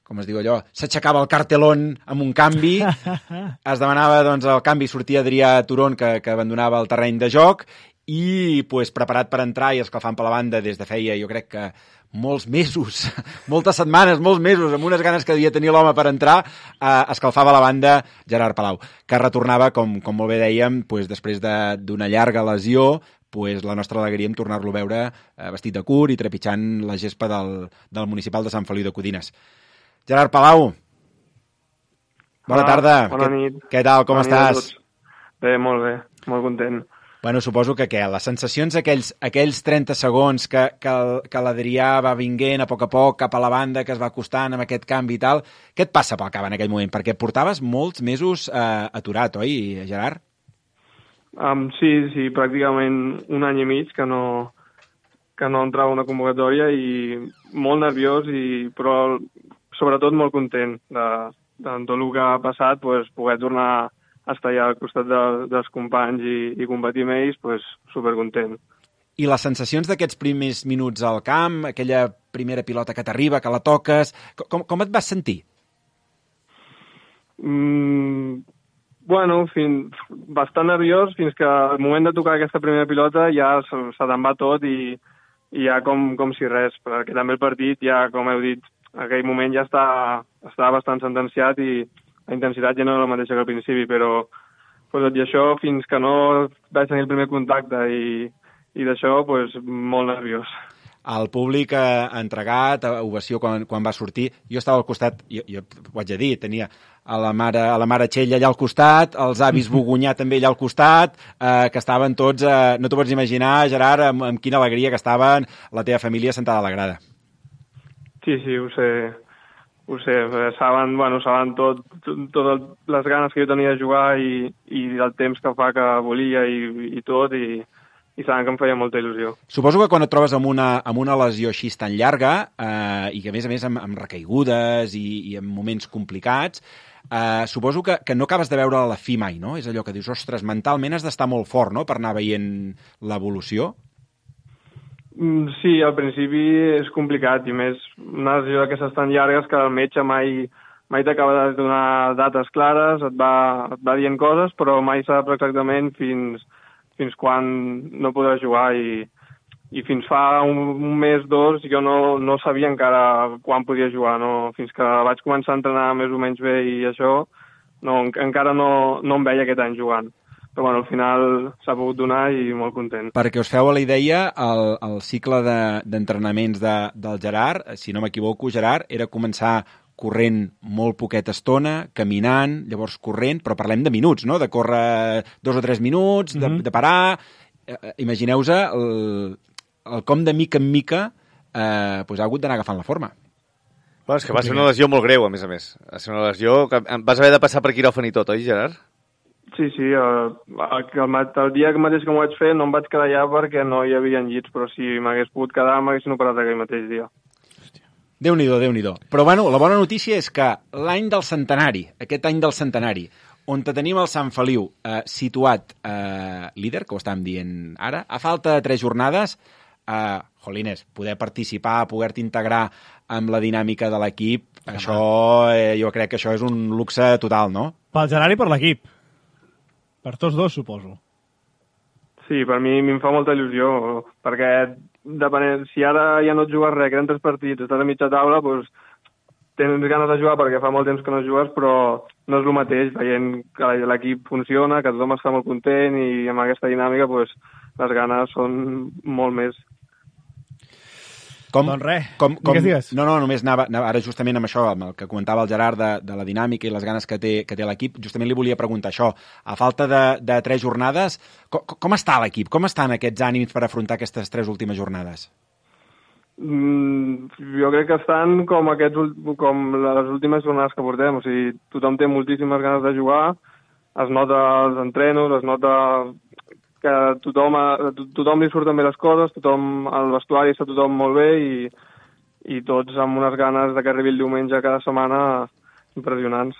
G: com es diu allò, s'aixecava el cartelón amb un canvi, es demanava doncs, el canvi, sortia Adrià Turón, que abandonava el terreny de joc, i pues, preparat per entrar i escalfant per la banda des de feia, jo crec que molts mesos, moltes setmanes, molts mesos, amb unes ganes que devia tenir l'home per entrar, escalfava la banda Gerard Palau, que retornava, com molt bé dèiem, pues, després d'una llarga lesió, pues, la nostra alegria en tornar-lo a veure vestit de curt i trepitjant la gespa del municipal de Sant Feliu de Codines. Gerard Palau, bona tarda.
M: Bona nit.
G: Què tal, com estàs?
M: Bé, molt content.
G: Bueno, suposo que les sensacions aquells 30 segons que l'Adrià va vinguent a poc cap a la banda, que es va acostant amb aquest canvi i tal, què et passa pel cap en aquell moment? Perquè portaves molts mesos aturat, oi, Gerard?
M: Sí, pràcticament un any i mig que no entrava una convocatòria i molt nerviós, però sobretot molt content de tot el que ha passat, poder tornar a estar allà al costat dels companys i competir amb ells, supercontent.
G: I les sensacions d'aquests primers minuts al camp, aquella primera pilota que t'arriba, que la toques, com et vas sentir?
M: Bueno, bastant nerviós, fins que al moment de tocar aquesta primera pilota ja se te'n va tot i ja com si res, perquè també el partit ja, com heu dit, en aquell moment ja estava bastant sentenciat i la intensitat ja no era la mateixa que al principi, però tot i això, fins que no vaig tenir el primer contacte i d'això, molt nerviós.
G: El públic ha entregat, ovació quan va sortir. Jo estava al costat, jo ho haig de dir, tenia a la mare Txell allà al costat, els avis Bogunyà també allà al costat, que estaven tots, no t'ho pots imaginar, Gerard, amb quina alegria que estaven la teva família sentada a la grada.
M: Sí, ho sé, saben totes les ganes que jo tenia de jugar i el temps que fa que volia i tot, i saben que em feia molta il·lusió.
G: Suposo que quan et trobes amb una lesió així tan llarga, i que a més amb recaigudes i en moments complicats, suposo que no acabes de veure la fi mai, no? És allò que dius, ostres, mentalment has d'estar molt fort, no?, per anar veient l'evolució.
M: Sí, al principi és complicat, i més una lesió d'aquestes tan llargues que el metge mai t'acaba de donar dates clares, et va dient coses, però mai sap exactament fins quan no podràs jugar, i fins fa un mes, dos, jo no sabia encara quan podia jugar, no? Fins que vaig començar a entrenar més o menys bé i això, encara no em veia aquest any jugant. Però bueno, al final s'ha pogut donar i molt content.
G: Perquè us feu a la idea, el cicle d'entrenaments del Gerard, si no m'equivoco, Gerard, era començar corrent molt poqueta estona, caminant, llavors corrent, però parlem de minuts, no?, de córrer 2 o 3 minuts, de parar. Imagineu-vos el com de mica en mica ha hagut d'anar agafant la forma.
H: Bueno, és que va ser una lesió molt greu, a més. Va ser una lesió que vas haver de passar per quiròfan i tot, oi, Gerard?
M: Sí, el dia mateix que m'ho vaig fer no em vaig quedar allà perquè no hi havia llits, però si m'hagués pogut quedar m'haguessin operat aquell mateix dia.
G: Déu-n'hi-do, Déu-n'hi-do. Però bueno, la bona notícia és que l'any del centenari, aquest any del centenari, on tenim el Sant Feliu situat líder, que ho estàvem dient ara, a falta de 3 jornades, jolines, poder participar, poder-te integrar amb la dinàmica de l'equip, això, jo crec que això és un luxe total, no?
F: Pel Gerard i per l'equip. Per tots dos, suposo.
M: Sí, per mi em fa molta il·lusió, perquè si ara ja no et jugues res, queden 3 partits, estàs a mitja taula, tens ganes de jugar perquè fa molt temps que no jugues, però no és el mateix, veient que l'equip funciona, que tothom està molt content i amb aquesta dinàmica les ganes són molt més.
F: Doncs res, què digues?
G: No, només anava ara justament amb això, amb el que comentava el Gerard de la dinàmica i les ganes que té l'equip, justament li volia preguntar això. A falta de 3 jornades, com està l'equip? Com estan aquests ànims per afrontar aquestes 3 últimes jornades?
M: Jo crec que estan com les últimes jornades que portem, o sigui, tothom té moltíssimes ganes de jugar, es nota els entrenos, es nota que tothom li surten bé les coses, al vestuari està tothom molt bé i tots amb unes ganes de que arribi el diumenge cada setmana impressionants.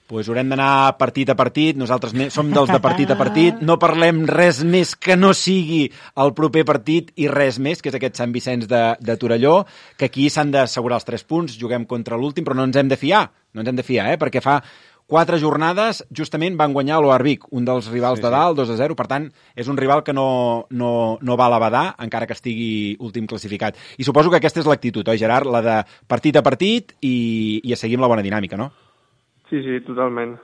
G: Pues haurem d'anar partit a partit, nosaltres som dels de partit a partit, no parlem res més que no sigui el proper partit i res més, que és aquest Sant Vicenç de Torelló, que aquí s'han d'assegurar els 3 punts, juguem contra l'últim, però no ens hem de fiar, perquè fa 4 jornades justament van guanyar l'Oarvic, un dels rivals de dalt, 2-0, per tant, és un rival que no val a badar, encara que estigui últim classificat. I suposo que aquesta és l'actitud, oi, Gerard? La de partit a partit i a seguir amb la bona dinàmica, no?
M: Sí, totalment.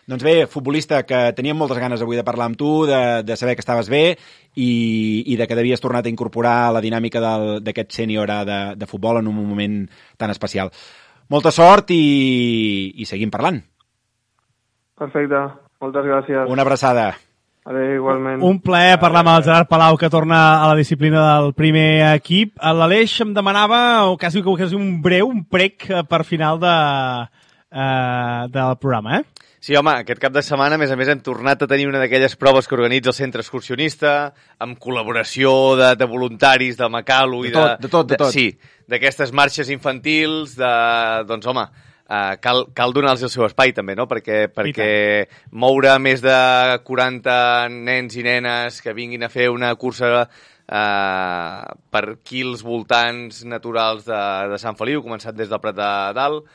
G: Doncs bé, futbolista, que teníem moltes ganes avui de parlar amb tu, de saber que estaves bé i de que devies tornar a incorporar la dinàmica d'aquest sènior de futbol en un moment tan especial. Molta sort i seguim parlant.
M: Perfecte, moltes gràcies.
G: Una abraçada.
M: Adéu, igualment.
F: Un plaer parlar amb el Gerard Palau, que torna a la disciplina del primer equip. L'Aleix em demanava, o quasi un prec per final del programa,
H: Sí, home, aquest cap de setmana, a més hem tornat a tenir una d'aquelles proves que organitza el centre excursionista, amb col·laboració de voluntaris, de Macalu i
G: de tot.
H: Sí, d'aquestes marxes infantils, doncs, home, cal donar-los el seu espai també, no? Perquè moure més de 40 nens i nenes que vinguin a fer una cursa per aquí els voltants naturals de Sant Feliu, començant des del Prat de Dalt,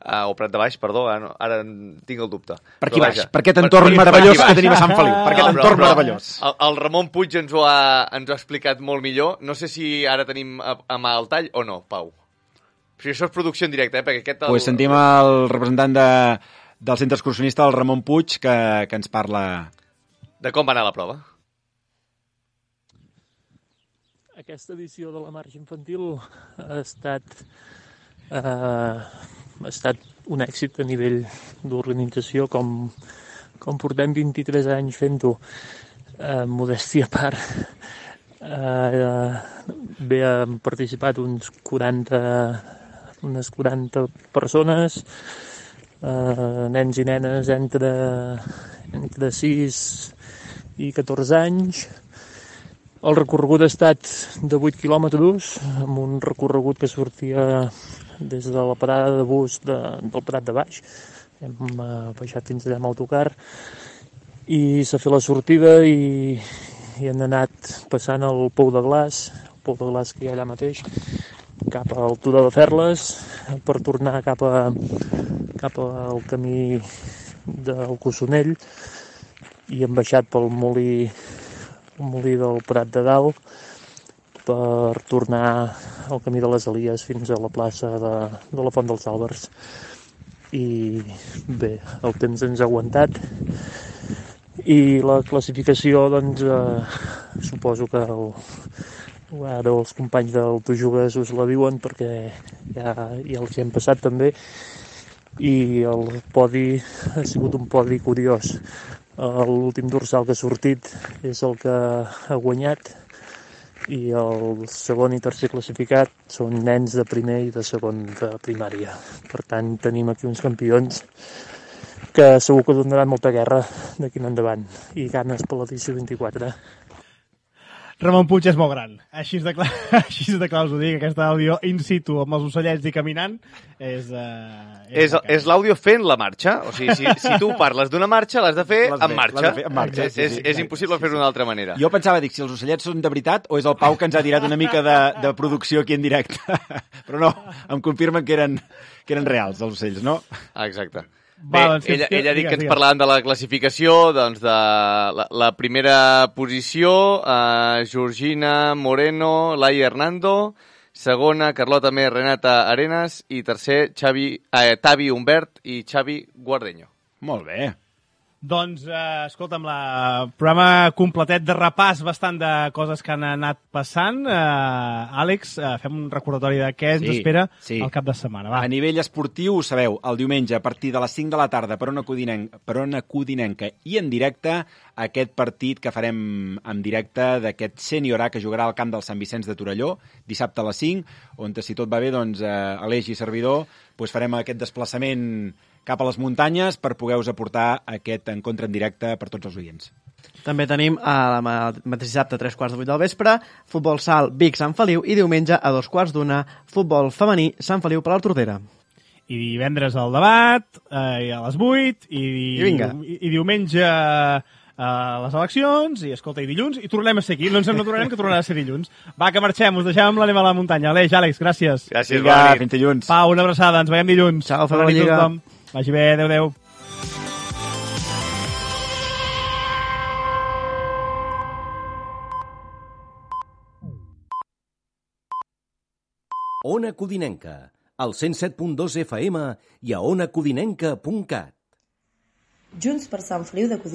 H: o Prat de Baix, perdó, ara tinc el dubte.
G: Per aquí baix, per aquest entorn meravellós que tenim a Sant Feliu, per aquest entorn meravellós.
H: El Ramon Puig ens ho ha explicat molt millor. No sé si ara tenim a mà el tall o no, Pau. Però això és producció en directe, perquè aquest...
G: Pues sentim el representant del centre excursionista, el Ramon Puig, que ens parla...
H: De com va anar la prova.
N: Aquesta edició de la marxa infantil ha estat un èxit a nivell d'organització, com portem 23 anys fent-ho, modèstia a part. Bé, han participat unes 40 persones, nens i nenes entre 6 i 14 anys. El recorregut ha estat de 8 quilòmetres, amb un recorregut que sortia des de la parada de bus del Prat de Baix. Hem baixat fins allà amb autocar i s'ha fet la sortida i han anat passant el Pou de Glaç que hi ha allà mateix, cap a l'Altura de Ferles, per tornar cap al camí del Cossonell, i hem baixat pel molí del Prat de Dalt per tornar al camí de les Elies fins a la plaça de la Font dels Àlbers. I bé, el temps ens ha aguantat i la classificació, doncs, suposo que ara els companys del Tu Jugues us la diuen, perquè ja els hi hem passat també, i el podi ha sigut un podi curiós. L'últim dorsal que ha sortit és el que ha guanyat, i el segon i tercer classificat són nens de primer i de segon de primària. Per tant, tenim aquí uns campions que segur que donaran molta guerra d'aquí en endavant, i ganes per l'edició 24.
F: Ramon Puig és molt gran. Així de clar us ho dic, aquesta àudio in situ amb els ocellets i caminant és
H: l'àudio fent la marxa. O sigui, si tu parles d'una marxa, l'has de fer en marxa. És impossible fer-ho d'una altra manera.
G: Jo pensava, si els ocellets són de veritat o és el Pau que ens ha tirat una mica de producció aquí en directe. Però no, em confirmen que eren reals, els ocells, no?
H: Exacte. Bé, ella ha dit que ens parlàvem de la classificació, doncs de la primera posició, Georgina Moreno, Laia Hernando, segona, Carlota Mer, Renata Arenas, i tercer, Tavi Humbert i Xavi Guardeño.
G: Molt bé.
F: Doncs, escolta'm, programa completet de repàs bastant de coses que han anat passant. Àlex, fem un recordatori de què ens espera el cap de setmana. Va.
G: A nivell esportiu, ho sabeu, el diumenge a partir de les 5 de la tarda per Ona Codinenca i en directe, aquest partit que farem en directe d'aquest sènior A que jugarà al camp del Sant Vicenç de Torelló, dissabte a les 5, on, si tot va bé, doncs, Aleix i servidor, farem aquest desplaçament cap a les muntanyes per poder-vos aportar aquest encontre en directe per tots els oients.
I: També tenim el mateix dissabte a 3:15 del vespre, futbol sal Vic Sant Feliu i diumenge a 2:15, futbol femení Sant Feliu per l'Hortolera.
F: I divendres el debat, i a les 8, i diumenge les eleccions, i escolta, i dilluns, i tornem a ser aquí. No ens en tornarem, que tornarà a ser dilluns. Va, que marxem, us deixem amb l'Anem a la muntanya. Aleix, Àlex, gràcies.
H: Gràcies, bona nit.
G: Fins dilluns.
F: Pau, una abraçada, ens veiem dilluns.
I: Ciao, feu la lliga.
F: Vagi bé, adeu.
A: Ona Codinenca, al 107.2 FM i a onacodinenca.cat.
B: Junts per Sant Feliu de Codines.